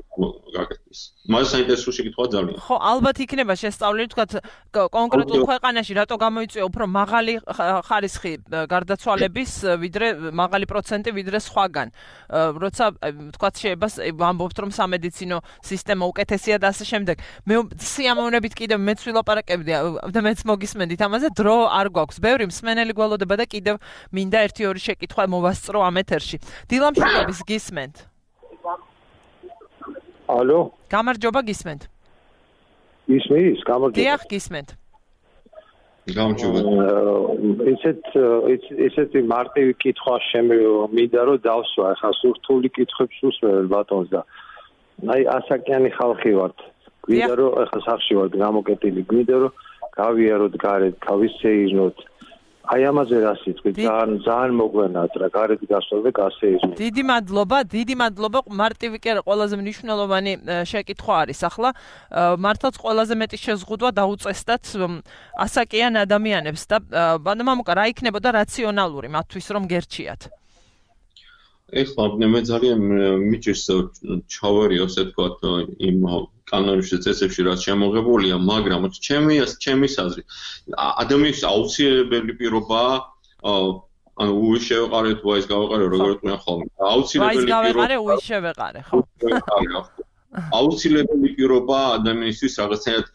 Speaker 2: გაკეთდეს. მას საინტერესო შეკითხვა ძალიან.
Speaker 1: ხო, ალბათ იქნება შესწავლილი, თქვათ, კონკრეტულ ქვეყანაში რატო გამოიწვია უფრო მაღალი ხარისხი გარდაცვალების, ვიდრე მაღალი პროცენტი ვიდრე სხვაგან. როცა თქვათ შეიძლება ვამბობთ, რომ სამედიცინო სისტემა უკეთესია და ასე შემდეგ. მე სიამოვნებით კიდევ მეც ვილაპარაკებდი და მეც მოგისმენდით ამაზე, დრო არ გვაქვს. ბევრი მსმენელი გველოდება და კიდევ მინდა 1-2 შეკითხვა მოვასწრო ამ ეთერში. დილამშვიდობის გისმენთ.
Speaker 5: ალო?
Speaker 1: გამარჯობა გისმენთ.
Speaker 5: ისმის, გამარჯობა.
Speaker 1: დიახ, გისმენთ.
Speaker 2: გამარჯობა.
Speaker 5: ესეთი მარტივი კითხვა მინდა რომ დავსვა, ახლა სურთული კითხვებს უსმევ ბატონს და აი ასაკიანი ხალხი ვართ. გვინდა რომ ახლა სახში ვართ გამოკეტილი, გვინდა რომ გავიაროთ გარეთ, გავისეირნოთ. აი ამაზე რა სიტყვი ძალიან მოგვენათ რა გარეთ გასვლა და გასეირნოთ.
Speaker 1: დიდი მადლობა, მარტივი კი არა, ყველაზე მნიშვნელოვანი შეკითხვა არის ახლა. მართლაც ყველაზე მეტი შეზღუდვა დაუწესდათ ასაკიან ადამიანებს და ბანდა მამუკა რა იქნებოდა რაციონალური მათთვის რომ გერჩიათ?
Speaker 2: ეხლა მე ძალიან მიჭირს ჩავარიო ასე ვთქვათ იმ კანონებში წესებში რაც შემოღებულია, მაგრამ ჩემი აზრით ადამიანის აუცილებელი პირობაა ანუ უის შევეყარეთ, ვაის გავეყარე, როგორ თქვენ ხოლმე.
Speaker 1: აუცილებელი პირობა. უის შევეყარე, ხო.
Speaker 2: აუცილებელი პირობა ადამიანისთვის რაღაცნაირად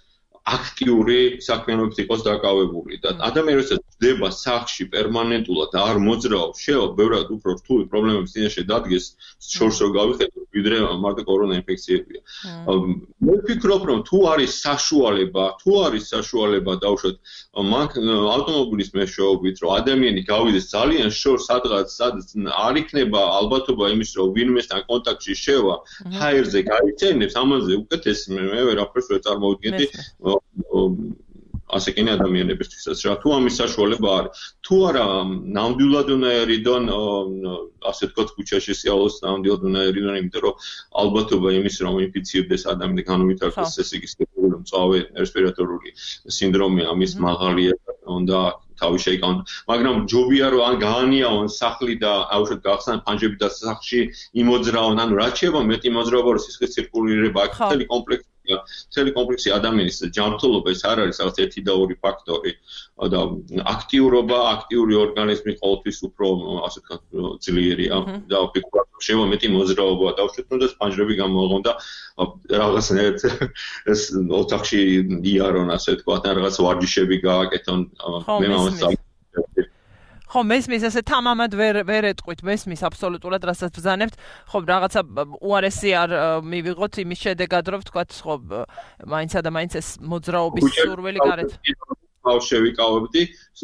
Speaker 2: აქტიური საქმიანობით იყოს დაკავებული და ადამიანი როცა ჯდება სახლში პერმანენტულად და არ მოძრაობს, შეიძლება ბევრად უფრო რთული პრობლემების წინაშე დადგეს, შორს რო გავიხედოთ, ვიდრე მარტო კორონა ინფექციებია. მე ვფიქრობ, რომ თუ არის საშუალება დავუშვათ ავტომობილის მეშვეობით, რომ ადამიანი გავიდეს ძალიან შორს სადღაც არ იქნება ალბათობა იმის, რომ ვინმესთან კონტაქტში შევა, ჰაერზე გაიცენებს, ამაზე უკეთეს მე ვერაფერს ვერ წარმოვიდგენდი ასე კენა ადამიანებისთვისაც რა თუ ამის საშუალება არის თუ არა ნამდვილად უნდა ერიდონ ასე თქვათ ქუჩაში სიახლოვეს ნამდვილად უნდა ერიდონ იმიტომ რომ ალბათობა იმის რომ ინფიცირდეს ადამიანი განუვითარდეს ესე იგი მწვავე რესპირატორული სინდრომი ამის მაღალია უნდა თავი შეიკავონ მაგრამ ჯობია რომ ან გაანიავონ სახლი და აუშვათ გახსნან ფანჯები და სახლში იმოძრაონ ანუ რაც შეიძლება მეტი მოძრაობა რომ სისხლის ცირკულირება აქ მთელი კომპლექსი ადამიანის ჯანმრთელობა ეს არ არის რაღაც ერთი და ორი ფაქტორი და აქტიურობა, აქტიური ორგანიზმი ყოველთვის უფრო ასე ვთქვათ ძლიერია და ვფიქრობ შეიძლება მეტი მოძრაობა დავშვათ თუნდაც ფანჯრები გამოაღონ და რაღაცნაირად ეს ოთახში იარონ ასე ვთქვათ ან რაღაც ვარჯიშები გააკეთონ მე მომს
Speaker 1: ხო მესმის ესე თამამად ვერ ეტყვით მესმის აბსოლუტურად რასაც ბრძანებთ ხო რაღაცა უარესი არ მივიღოთ იმის შედეგად რომ ვთქვათ ხო მაინცა და მაინც ეს მოძრაობის სურვილი გარეთ
Speaker 2: შევიკავებდი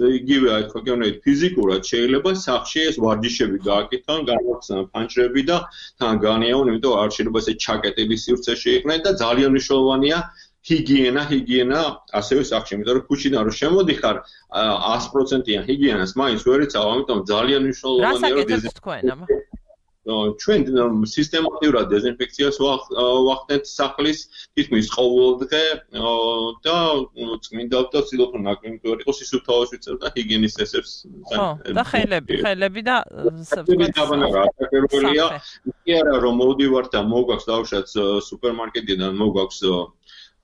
Speaker 2: იგივე აი თქვა გეუბნებით ფიზიკურად შეიძლება სახლში ეს ვარჯიშები გააკეთონ განვახსნან ფანჯრები და თან განიავონ იმიტომ არ შეიძლება ესე ჩაკეტილი სივრცეში იყვნენ და ძალიან მნიშვნელოვანია ჰიგიენა ასევე სახლში იმიტომ რომ ქუჩიდან რომ შემოდიხარ 100%-იან ჰიგიენას მაინც ვერ იცავ ამიტომ ძალიან მნიშვნელოვანია რომ ჩვენ სისტემატურად დეზინფექციას ვახდენთ სახლის თითქმის ყოველდღე და წმინდა და ვცდილობ რომ ნაკლები ვერ იყოს ის უთავას ვიცევ და ჰიგიენის წესებს
Speaker 1: და ხელები და
Speaker 2: რა კი არა რომ მოვდივართ და მოვგაქვს დავუშვათ სუპერმარკეტიდან მოვგაქვს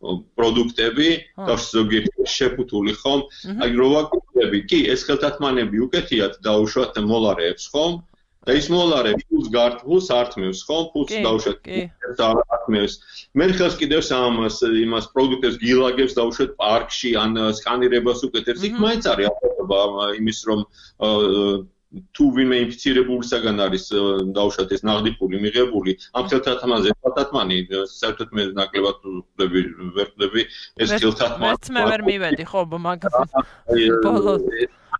Speaker 2: პროდუქტები და ზოგიერთი შეფუთული ხომ აი რო ვაკეთები კი ეს ხელთათმანები უკეთიათ დაუშვათ მოლარეებს ხომ და ის მოლარები ფულს გართულს ართმევს ხომ ფულს დაუშვათ და ართმევს მე ხელს კიდევ იმას პროდუქტებს გილაგებს დაუშვათ პარკში ან სკანირებას უკეთებს იქ მაინც არის ალბათობა იმის რომ თუ ვინმე ინფიცირებულისაგან არის დაუშვათ ეს ნაღდი ფული მიღებული ამ ხელთათმანზე ხელთათმანი საერთოდ მე ნაკლებად ვერ ვხვდები ეს ხელთათმანი
Speaker 1: მე ვერ მივედი ხო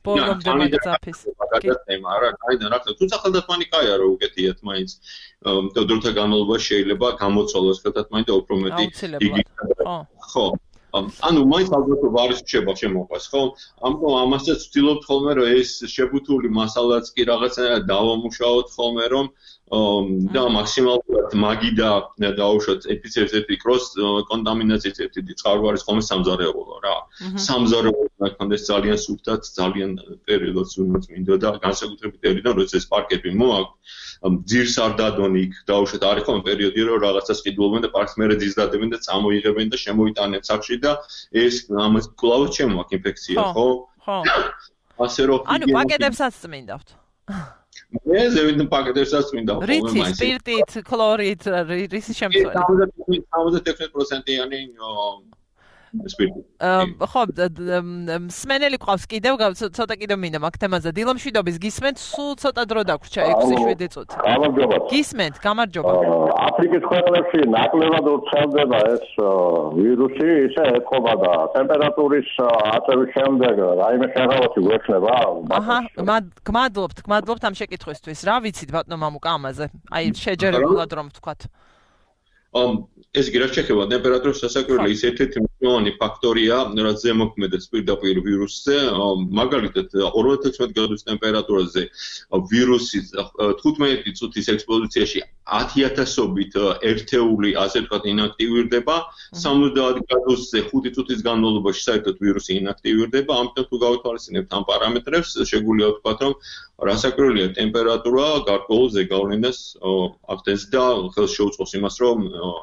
Speaker 1: ბოლომდე მაგაცაფის
Speaker 2: არა კაიდან რა თუმცა ხელთათმანი კაია რომ უკეთიათ მაინც დროთა განმავლობაში შეიძლება გამოცვალოს ხელთათმანი და უფრო მეტი იგი ხო ანუ მაინც ალბათობა არის შეება შემოყვას ხო ამიტომ ამასაც ვცდილობთ ხოლმე რომ ეს შეფუთული მასალაც კი რაღაცნაირად დავამუშავოთ ხოლმე რომ და მაქსიმალურად მაგი და დაუშვათ ინფექციების ერთი კროს კონტამინაციის ერთი წყარო არის ხოლმე სამზარეულო რა სამზარეულო ნახონდეს ძალიან სუფთად ძალიან პერიოდს უნდა მინდო და განსაკუთრებით ერიდან როცა ეს პარკები მოაქვს ძირს არ დადონ იქ დაუშვათ არის ხოლმე პერიოდი რომ რაღაცას ყიდულობენ და პარკს მერე ძირს დადებენ და წამოიღებენ და შემოიტანენ სახლში და ეს ამას კლავად შემოაქვს ინფექცია ხო ასე რომ
Speaker 1: ანუ პაკეტებსაც წმინდავთ
Speaker 2: მე ზევით პაკეტებსაც წმინდა ხოლმე
Speaker 1: რითი სპირტით ქლორით რისი შემცველი
Speaker 2: 76%-იანი სპირტი
Speaker 1: ხო სმენელი ყავს კიდევ ცოტა კიდევ მინდა მაგ თემაზე დილომშვიდობის გისმენთ სულ ცოტა დრო დაგვრჩა 6-7 წუთი
Speaker 3: გამარჯობა
Speaker 1: გისმენთ გამარჯობა
Speaker 3: აფრიკის ქვეყნებში ნაკლებად ვრცელდება ეს ვირუსი ისე ეთყობა და ტემპერატურის აწევის შემდეგ რაიმე შეღავათი გვექნება
Speaker 1: აჰა გმადლობთ ამ შეკითხვისთვის რა ვიცით ბატონო მამუკა ამაზე აი შეჯერებულად რომ ვთქვათ
Speaker 2: ეს კი რა შეეხება ტემპერატურის სასაკვირველი ის ერთ-ერთი მნიშვნელოვანი ფაქტორია, რაც ზემოქმედებს პირდაპირ ვირუსზე. მაგალითად, 56 გრადუს ტემპერატურაზე ვირუსი 15 წუთის ექსპოზიციაში 10,000-ობით ერთეული, ასე ვთქვათ, ინაქტივირდება. 70 გრადუსზე 5 წუთის განმავლობაში საერთოდ ვირუსი ინაქტივირდება. ამიტომ თუ გავითვალისწინებთ ამ პარამეტრებს, შეგვიძლია ვთქვათ, რომ რასაკვირველია ტემპერატურა გარკვეულ ზეგავლენას ახდენს და ხელს შეუწყობს იმას, რომ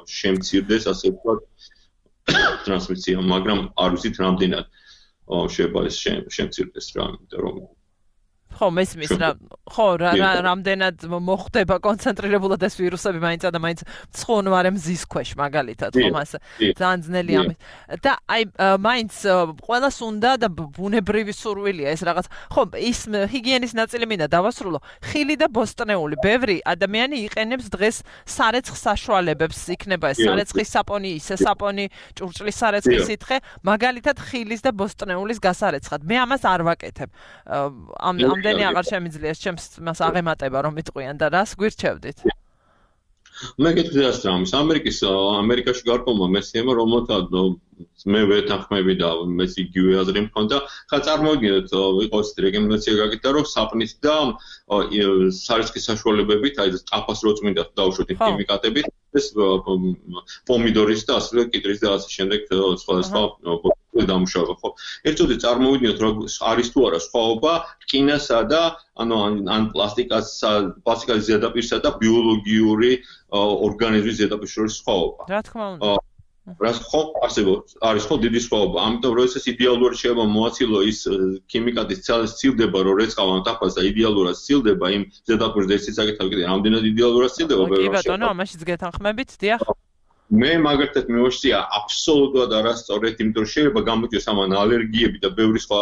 Speaker 2: შემცირდეს, ასე ვთქვათ, ტრანსმისია, მაგრამ არ ვიცით რამდენად შეიძლება ეს შემცირდეს რა, იმიტომ რომ
Speaker 1: ხო, მესმის რა, ხო, რამდენად მოხდება კონცენტრირებულად ეს ვირუსები მაინც და მაინც ცხონვარე მზის ქვეშ მაგალითად, ხო, მასე ძალიან ძნელი ამის. და აი მაინც ყველას უნდა და ბუნებრივი სურვილია ეს რაღაც. ხო, ის ჰიგიენის ნაწილი მინდა დავასრულო. ხილი და ბოსტნეული, ბევრი ადამიანი იყენებს დღეს სარეცხ საშუალებებს, იქნება ეს სარეცხის საპონი, ისე საპონი, ჭურჭლის სარეცხის სითხე, მაგალითად ხილის და ბოსტნეულის გასარეცხად. მე ამას არ ვაკეთებ. ამდენი აღარ შემიძლია ჩემს მას აღემატება რომ მიტყვიან და რას გვირჩევდით?
Speaker 2: მე გეტყვი ამის ამერიკაში გარკვეულმა მეცნიერებმა რომელთაც მე ვეთანხმები და მეც იგივე აზრი მქონდა, ხა წარმოვიდგინოთ იყოს რეკომენდაცია გაკეთდა რომ საპნით და სარეცხის საშუალებებით, აი ეს ტაფას რო წმინდა დავუშვოთ იმ ქიმიკატებით, ეს პომიდორის და ასევე კიტრის და ასე შემდეგ სხვადასხვა დამუშავება, ხო? ერთწუთი წარმოვიდგინოთ რომ არის თუ არა სხვაობა რკინასა და ან პლასტიკის ზედაპირსა და ბიოლოგიური ორგანიზმის ზედაპირის შორის სხვაობა.
Speaker 1: რა თქმა უნდა.
Speaker 2: რას ხო არის ხო დიდი სხვაობა. ამიტომ როდესაც იდეალური შეიძლება მოაცილო ის ქიმიკატის ცილდება, რომ რეწყავა ამ ტაფას და იდეალურად ცილდება იმ ზედაპირს და ისიც აკეთებ, რამდენად იდეალურად ცილდება
Speaker 1: ბევრი. კი ბატონო, ამაშიც გეთანხმებით, დიახ.
Speaker 2: მე მაგალითად მივაშწია აბსოლუტურად არასწორად, იმიტომ რომ შეიძლება გამოიწვიოს ამან ალერგიები და ბევრი სხვა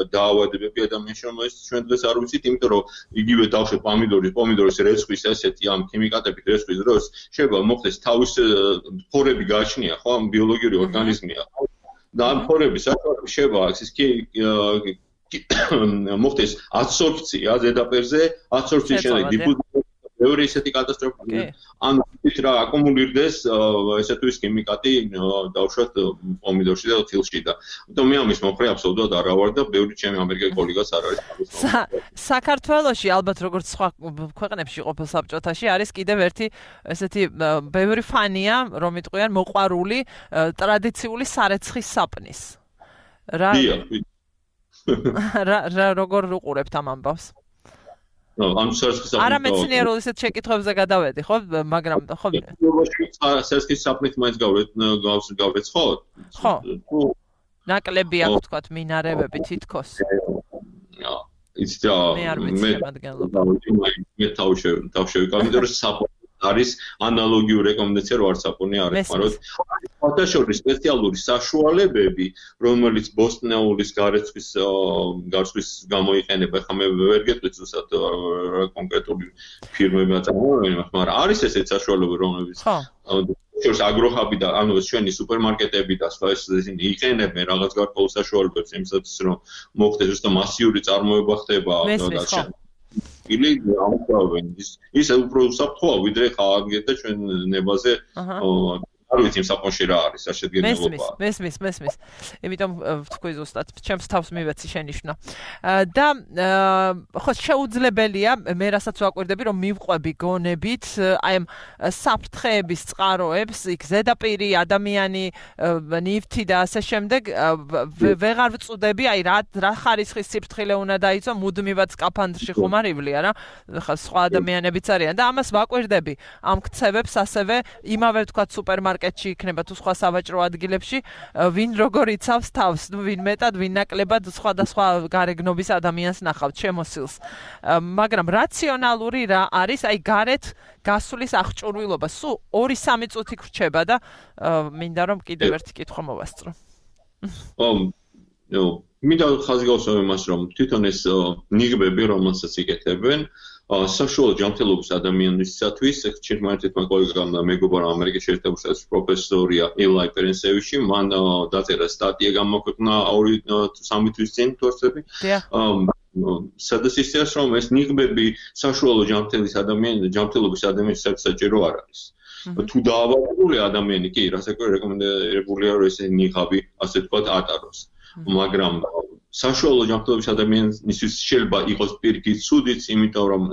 Speaker 2: დაავადებები ადამიანში, რომელიც ჩვენ დღეს არ ვიცით, იმიტომ რომ იგივე დავშევ პომიდორის რეცხვის ესეთი ამ ქიმიკატებით რეცხვის დროს შეიძლება მოხდეს თავის ფორები გააჩნია, ხო, ამ ბიოლოგიური ორგანიზმია. და ამ ფორების საშუალებით შეიძლება ის მოხდეს ადსორბცია ზედაპირზე, ადსორბციის შემდეგ დიფუზია ბევრი ესეთი კატასტროფა. ან ის რა აკუმულირდეს ესე თუ ის ქიმიკატი დავუშვათ პომიდორში და თილში და. ამიტომ მე ამის მომხრე აბსოლუტურად არ ვარ და ბევრი ჩემი ამერიკელი კოლეგაც არ არის.
Speaker 1: საქართველოში ალბათ როგორც სხვა ქვეყნებში ყოფილ საბჭოთაში არის კიდევ ერთი ესეთი ბევრი ფანია, რომ იტყვიან მოყვარული ტრადიციული სარეცხის საპნის. რა როგორ უყურებთ ამ ამბავს? არა მეცნიერულ ისეთ შეკითხვებზე გადავედი, ხო, მაგრამ ხო
Speaker 2: სერსკის საპნით მაინც გავეცხოთ?
Speaker 1: ხო. ნაკლები აქვს თქვათ მინარევები თითქოს.
Speaker 2: იცით რა მე თავშევიკავ, იმიტომ რომ საპონი არის ანალოგიური რეკომენდაცია რო არ საპონი არის, მაგრამ ფოტოშოპის სპეციალური საშუალებები, რომელიც ბოსტნეულის გარცხვის გამოიყენება, ხა მე ვერ გეტყვით ზუსტად კონკრეტული ფირმები აწარმოებენ, მაგრამ არის ესეთ საშუალებები, რომლებიც შორს აგროჰაბი და ანუ ჩვენი სუპერმარკეტები და სხვა ისინი იყენებენ რაღაც გარკვეულ საშუალებებს იმისათვის, რომ მოხდეს ზუსტად მასიური წარმოება ხდება დაილი ამთავრებენ ის უფრო უსაფრთხოა ვიდრე ხალხი და ჩვენ ნებაზე არ ვიცი იმ საპონში რა არის აღშედგენილობა.
Speaker 1: მესმის. იმიტომ თქვი ზუსტად ჩემს თავს მივეცი შენიშვნა. და ხო შეუძლებელია მე რასაც ვაკვირდები რომ მივყვები გონებით აი ამ საფრთხეების წყაროებს, იქ ზედაპირი ადამიანი ნივთი და ასე შემდეგ ვეღარ ვწუდები, აი რა ხარისხის სიფრთხილე უნდა დაიცვა, მუდმივად სკაფანდრში ხომ არ ივლია რა. ხა სხვა ადამიანებიც არიან და ამას ვაკვირდები ამ ქცევებს ასევე იმავე თქვა სუპერმარკეტში იქნება თუ სხვა სავაჭრო ადგილებში, ვინ როგორ იცავს თავს, ვინ მეტად, ვინ ნაკლებად სხვადასხვა გარეგნობის ადამიანს ნახავთ შემოსილს. მაგრამ რაციონალური რა არის, აი გარეთ გასulis აღჭურვილობა, სულ 2-3 წუთი გრჩება და მინდა რომ კიდევ ერთი კითხვა მოვასწრო.
Speaker 2: მინდა ხაზი გავუსვა იმას, რომ თვითონ ეს ნიღბები, რომელსაც იკეთებენ, საშუალო ჯანმრთელობის ადამიანისათვის, ერთმა კოლეგამ და მეგობარმა ამერიკაში ერთად პროფესორია ელაი პერენსევიჩი, მან დაწერა სტატია გამოქვეყნა 2-3 თვის წინ თორსები. სადაც ისეას, რომ ეს ნიღბები საშუალო ჯანმრთელობის ადამიანისათვის საჭირო არ არის. თუ დაავადებული ადამიანი კი რასაკვირველია რეკომენდებულია რომ ესე ნიღაბი ასე ვთქვათ ატაროს მაგრამ საშუალო ჯანმრთელობის ადამიანისთვის შეიძლება იყოს პირიქით ცუდიც იმიტომ რომ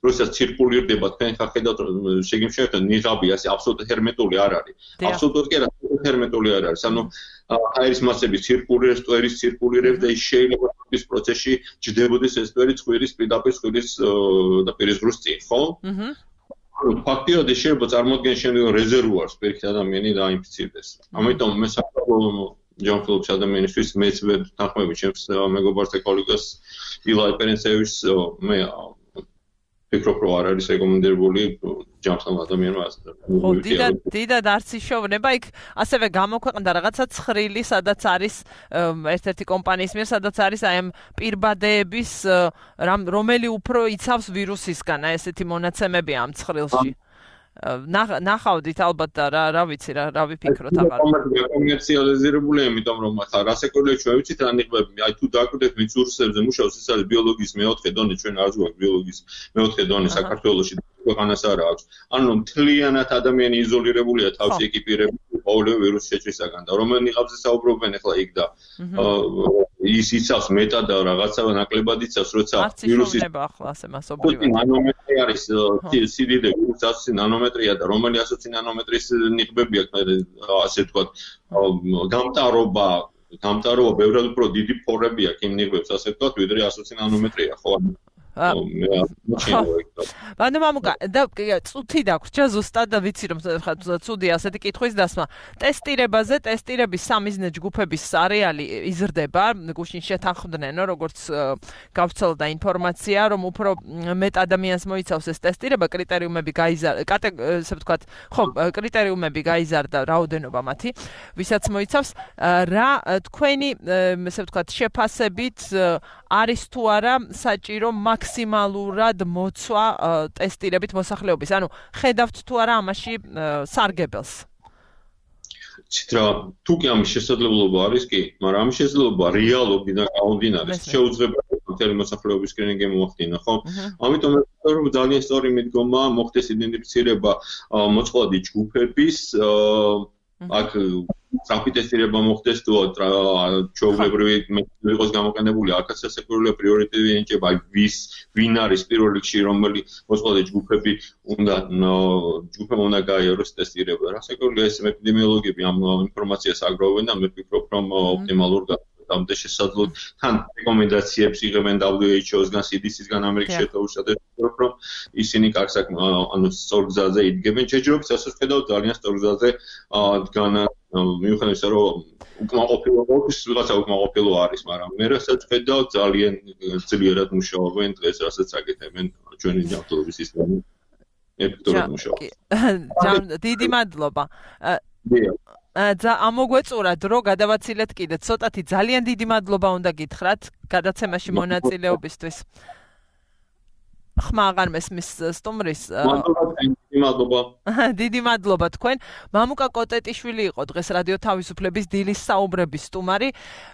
Speaker 2: როდესაც ცირკულირდება თქვენ ხა ხედავთ შეგიმშევთ ნიღაბი ასე აბსოლუტურად ჰერმეტული არ არის აბსოლუტურად კი არა ჰერმეტული არ არის ანუ აირის მასები ცირკულირებს ტვერის ცირკულირებს და ის შეიძლება ის პროცესში ჯდებოდეს ეს ტვერი ცხვირის პირდაპირ ცხვირის და პირისგრუს წინ ხო ფაქტიურად ეს შეიძლება წარმოადგენს შემდგომ რეზერვუარს პირიქით ადამიანი დაინფიცირდეს ამიტომ მე საკუთარ ჯანმრთელობის ადამიანისთვის მეც ვერ თანხმები ჩემს მეგობარს და კოლეგას ილა ეპერენცევის მე ფიქრობ რომ არ არის რეკომენდებული ჯანმრთელ ადამიანმა
Speaker 1: ხო დიდად არც ისოვნება იქ ასევე გამოქვეყნდა რაღაცა ცხრილი სადაც არის ერთ-ერთი კომპანიის მიერ სადაც არის აი ამ პირბადეების რომელი უფრო იცავს ვირუსისგან აი ესეთი მონაცემები ამ ცხრილში ნახავდით ალბათ და რა ვიცი რა ვიფიქროთ აღარ
Speaker 2: კომერციალიზირებული იმიტომ რომ ხა რასაკვირველია ჩვენ ვიცით რა ნიღბები აი თუ დაკვირდეთ მიწურსებზე მუშაობს ეს არის ბიოლოგიის მეოთხე დონე ჩვენ არ გვაქვს ბიოლოგიის მეოთხე დონე საქართველოში ქვეყანას არ აქვს ანუ მთლიანად ადამიანი იზოლირებულია თავში ეკიპირებული ყოველივე ვირუსის შეჭრისაგან და რომელ ნიღაბზე საუბრობენ ახლა იქ და ის იცავს მეტად და რაღაცა ნაკლებად იცავს როცა
Speaker 1: ვირუსის ახლა ასე მასობრივად
Speaker 2: ნანომეტრი არის სიდიდე ვირუსის ნანომეტრია და რომელი 120 ნანომეტრის ნიღბები აქვს ასე ვთქვათ გამტარობა ბევრად უფრო დიდი ფორები აქვს იმ ნიღბებს ასე ვთქვათ ვიდრე 120 ნანომეტრია ხო
Speaker 1: ანუ მამუკა და წუთი დაგვრჩა ზუსტად და ვიცი რომ ცუდი ასეთი კითხვის დასმა ტესტირებაზე ტესტირების სამიზნე ჯგუფების არეალი იზრდება გუშინ შეთანხმდნენ როგორც გავცელდა ინფორმაცია რომ უფრო მეტ ადამიანს მოიცავს ეს ტესტირება კრიტერიუმები ესე ვთქვათ ხო კრიტერიუმები გაიზარდა რაოდენობა მათი ვისაც მოიცავს რა თქვენი ესე ვთქვათ შეფასებით არის თუ არა საჭირო მაქსიმალურად მოცვა ტესტირებით მოსახლეობის. ანუ ხედავთ თუ არა ამაში სარგებელს.
Speaker 2: ცითრა თუ კი ამის შესაძლებლობა არის კი, მაგრამ ამის შესაძლებლობა რეალობიდან გამომდინარე შეუძლებელი მთელი მოსახლეობის სკრინინგი მოახდინა, ხო? ამიტომ მე ვფიქრობ რომ ძალიან სწორი მიდგომა მოხდეს იდენტიფიცირება მოწყვლადი ჯგუფების აქ სწრაფი ტესტირება მოხდეს თუ ჩვეულებრივი მეთოდი იყოს გამოყენებული აქაც სასეკვირველია პრიორიტეტი ენიჭება ვინ არის პირველ რიგში რომელი მოწყვლადი ჯგუფები უნდა გაიაროს ტესტირება რასაკვირველია ეს ეპიდემიოლოგები ამ ინფორმაციას აგროვებენ და მე ვფიქრობ რომ ოპტიმალურ ამდე შესაძლოა თან რეკომენდაციებს იღებენ WHO-სგან, CDC-სგან ამერიკის შეერთებულ შტატებში რომ ისინი კარგ ანუ სწორ გზაზე იდგებენ ჯერჯერობით ასე ვხედავ ძალიან სწორ გზაზე დგანა მიუხედავად იმისა რომ უკმაყოფილო არის მაგრამ მე რასაც ვხედავ ძალიან ძლიერად მუშაობენ დღეს რასაც აკეთებენ ჩვენი ჯანმრთელობის სისტემა ეფექტურად მუშაობს
Speaker 1: დიდი მადლობა ამოგვეწურა დრო გადავაცილეთ კიდე ცოტათი ძალიან დიდი მადლობა უნდა გითხრათ გადაცემაში მონაწილეობისთვის ხმა აღარ მესმის სტუმრის დიდი მადლობა თქვენ მამუკა კოტეტიშვილი იყო დღეს რადიო თავისუფლების დილის საუბრების სტუმარი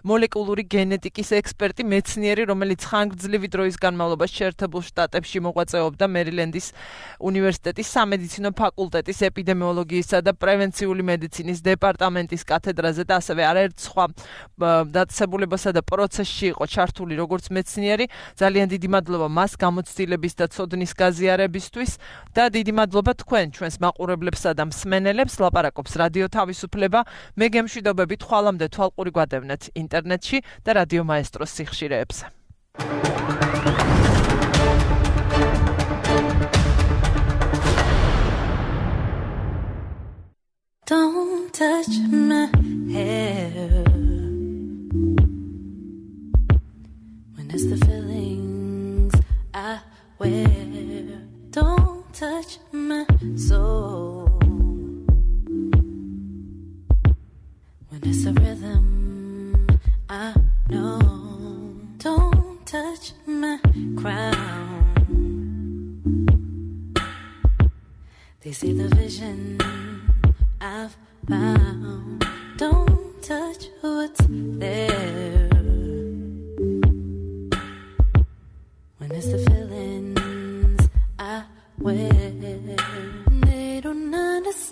Speaker 1: მოლეკულური გენეტიკის ექსპერტი მეცნიერი რომელიც ხანგრძლივი დროის განმავლობაში შეერთებულ შტატებში მოღვაწეობდა მერილენდის უნივერსიტეტის სამედიცინო ფაკულტეტის ეპიდემიოლოგიისა და პრევენციული მედიცინის დეპარტამენტის კათედრაზე და ასევე არაერთ სხვა დაწესებულებასა და პროცესში იყო ჩართული როგორც მეცნიერი ძალიან დიდი მადლობა მას გამოცდილების და ცოდნის გაზიარებისთვის და დიდი მადლობა თქვენ ჩვენს მაყურებლებსა და მსმენელებს ლაპარაკობს რადიო თავისუფლება მე გემშვიდობებით ხვალამდე თვალყური გვადევნეთ ინტერნეტში და რადიო მაესტროს სიხშირეებზე
Speaker 7: Don't touch my hair when it's the feelings I wear Don't touch my soul when it's a rhythm I know Don't touch my crown They see the vision I've found Don't touch what's there When it's the feelings I wear They don't understand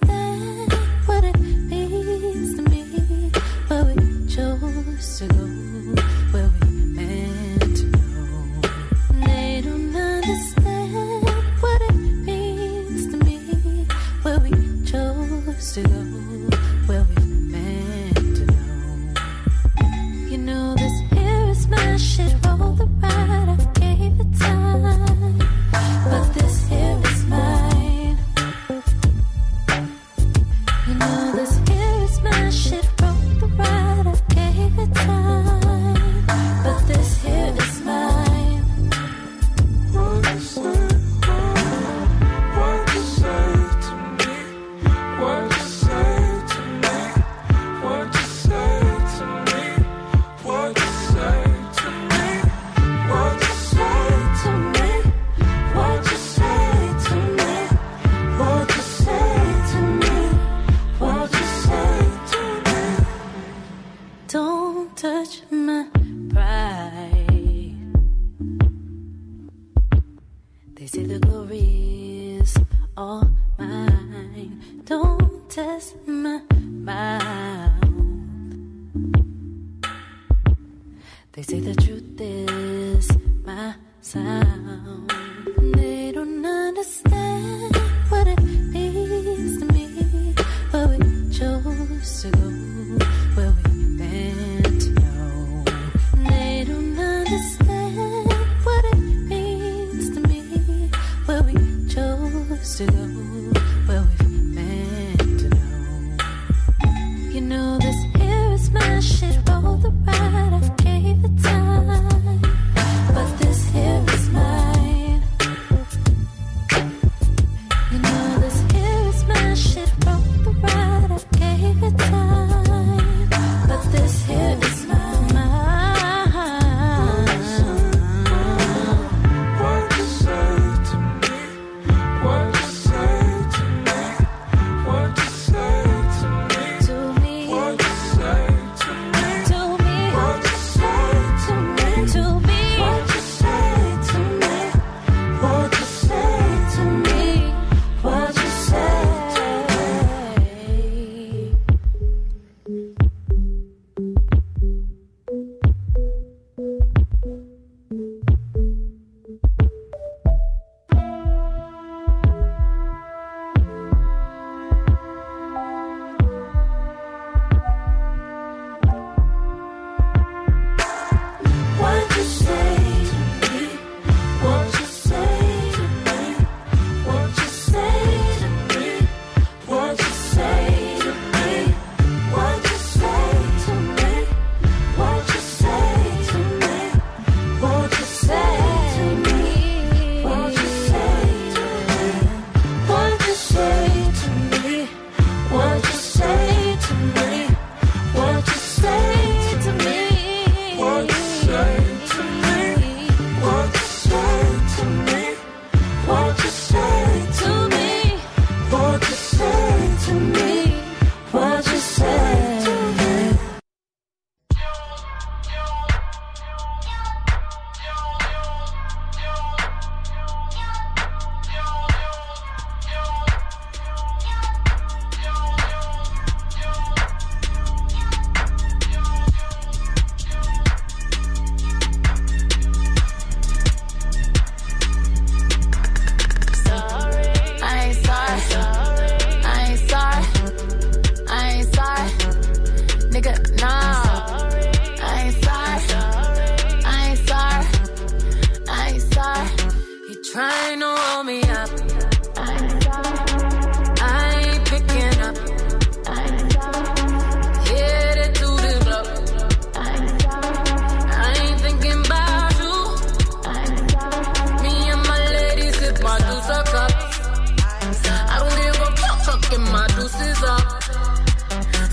Speaker 7: noose is up.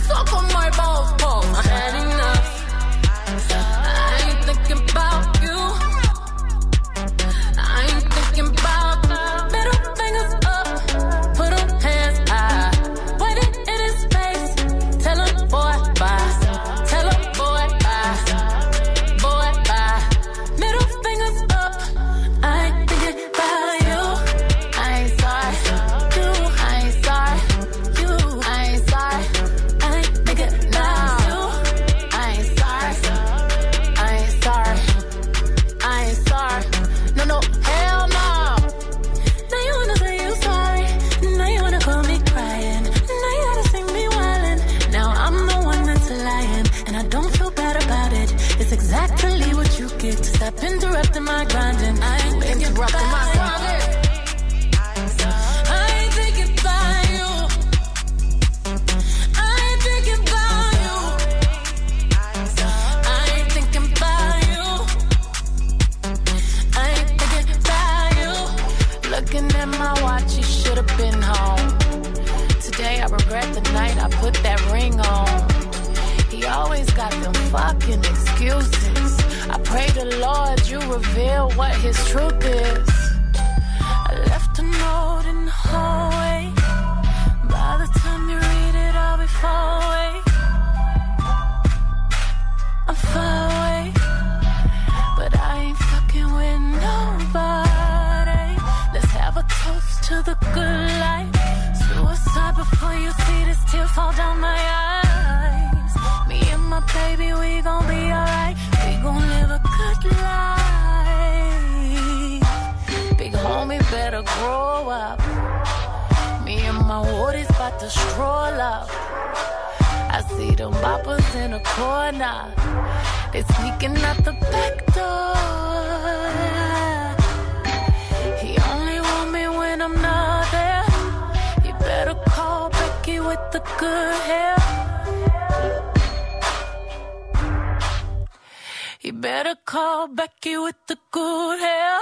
Speaker 7: Suck on my balls, balls. I had enough. I ain't thinking about you. I ain't thinking about middle fingers up. Put them hands high. Put it in his face. Tell him boy bye. Tell him boy bye. Boy bye. Middle fingers up. I ain't thinking about you. I ain't sorry. You. I ain't sorry. You. I ain't sorry. I ain't thinking about you. I ain't sorry. I ain't sorry. I ain't sorry. No, no, hell no. Now you wanna say you sorry. Now you wanna call me crying. Now you gotta see me wildin'. Now I'm the one that's lying, and I don't feel bad about it. It's exactly what you get. Stop interrupting my grinding. I ain't interrupting my grinding. I ain't thinking about you. I ain't thinking about you. I ain't thinking about you. I ain't thinking about you. Looking at my watch, you should have been home. Today I regret the night I put that ring on. He always got them fucking excuses. I pray the Lord you reveal what his truth is. I left a note in the hallway. By the time you read it, I'll be far away. I'm far away. But I ain't fucking with nobody. Let's have a toast to the good life. Suicide before you see this tear fall down my eyes. Me and my baby, we gon' be alright. We gon' live a good life. Big homie better grow up. Me and my woodies about to stroll up. I see them boppers in the corner. They sneaking out the back door. He only want me when I'm not there. You better call Becky with the good hair. You better call Becky with the good hair.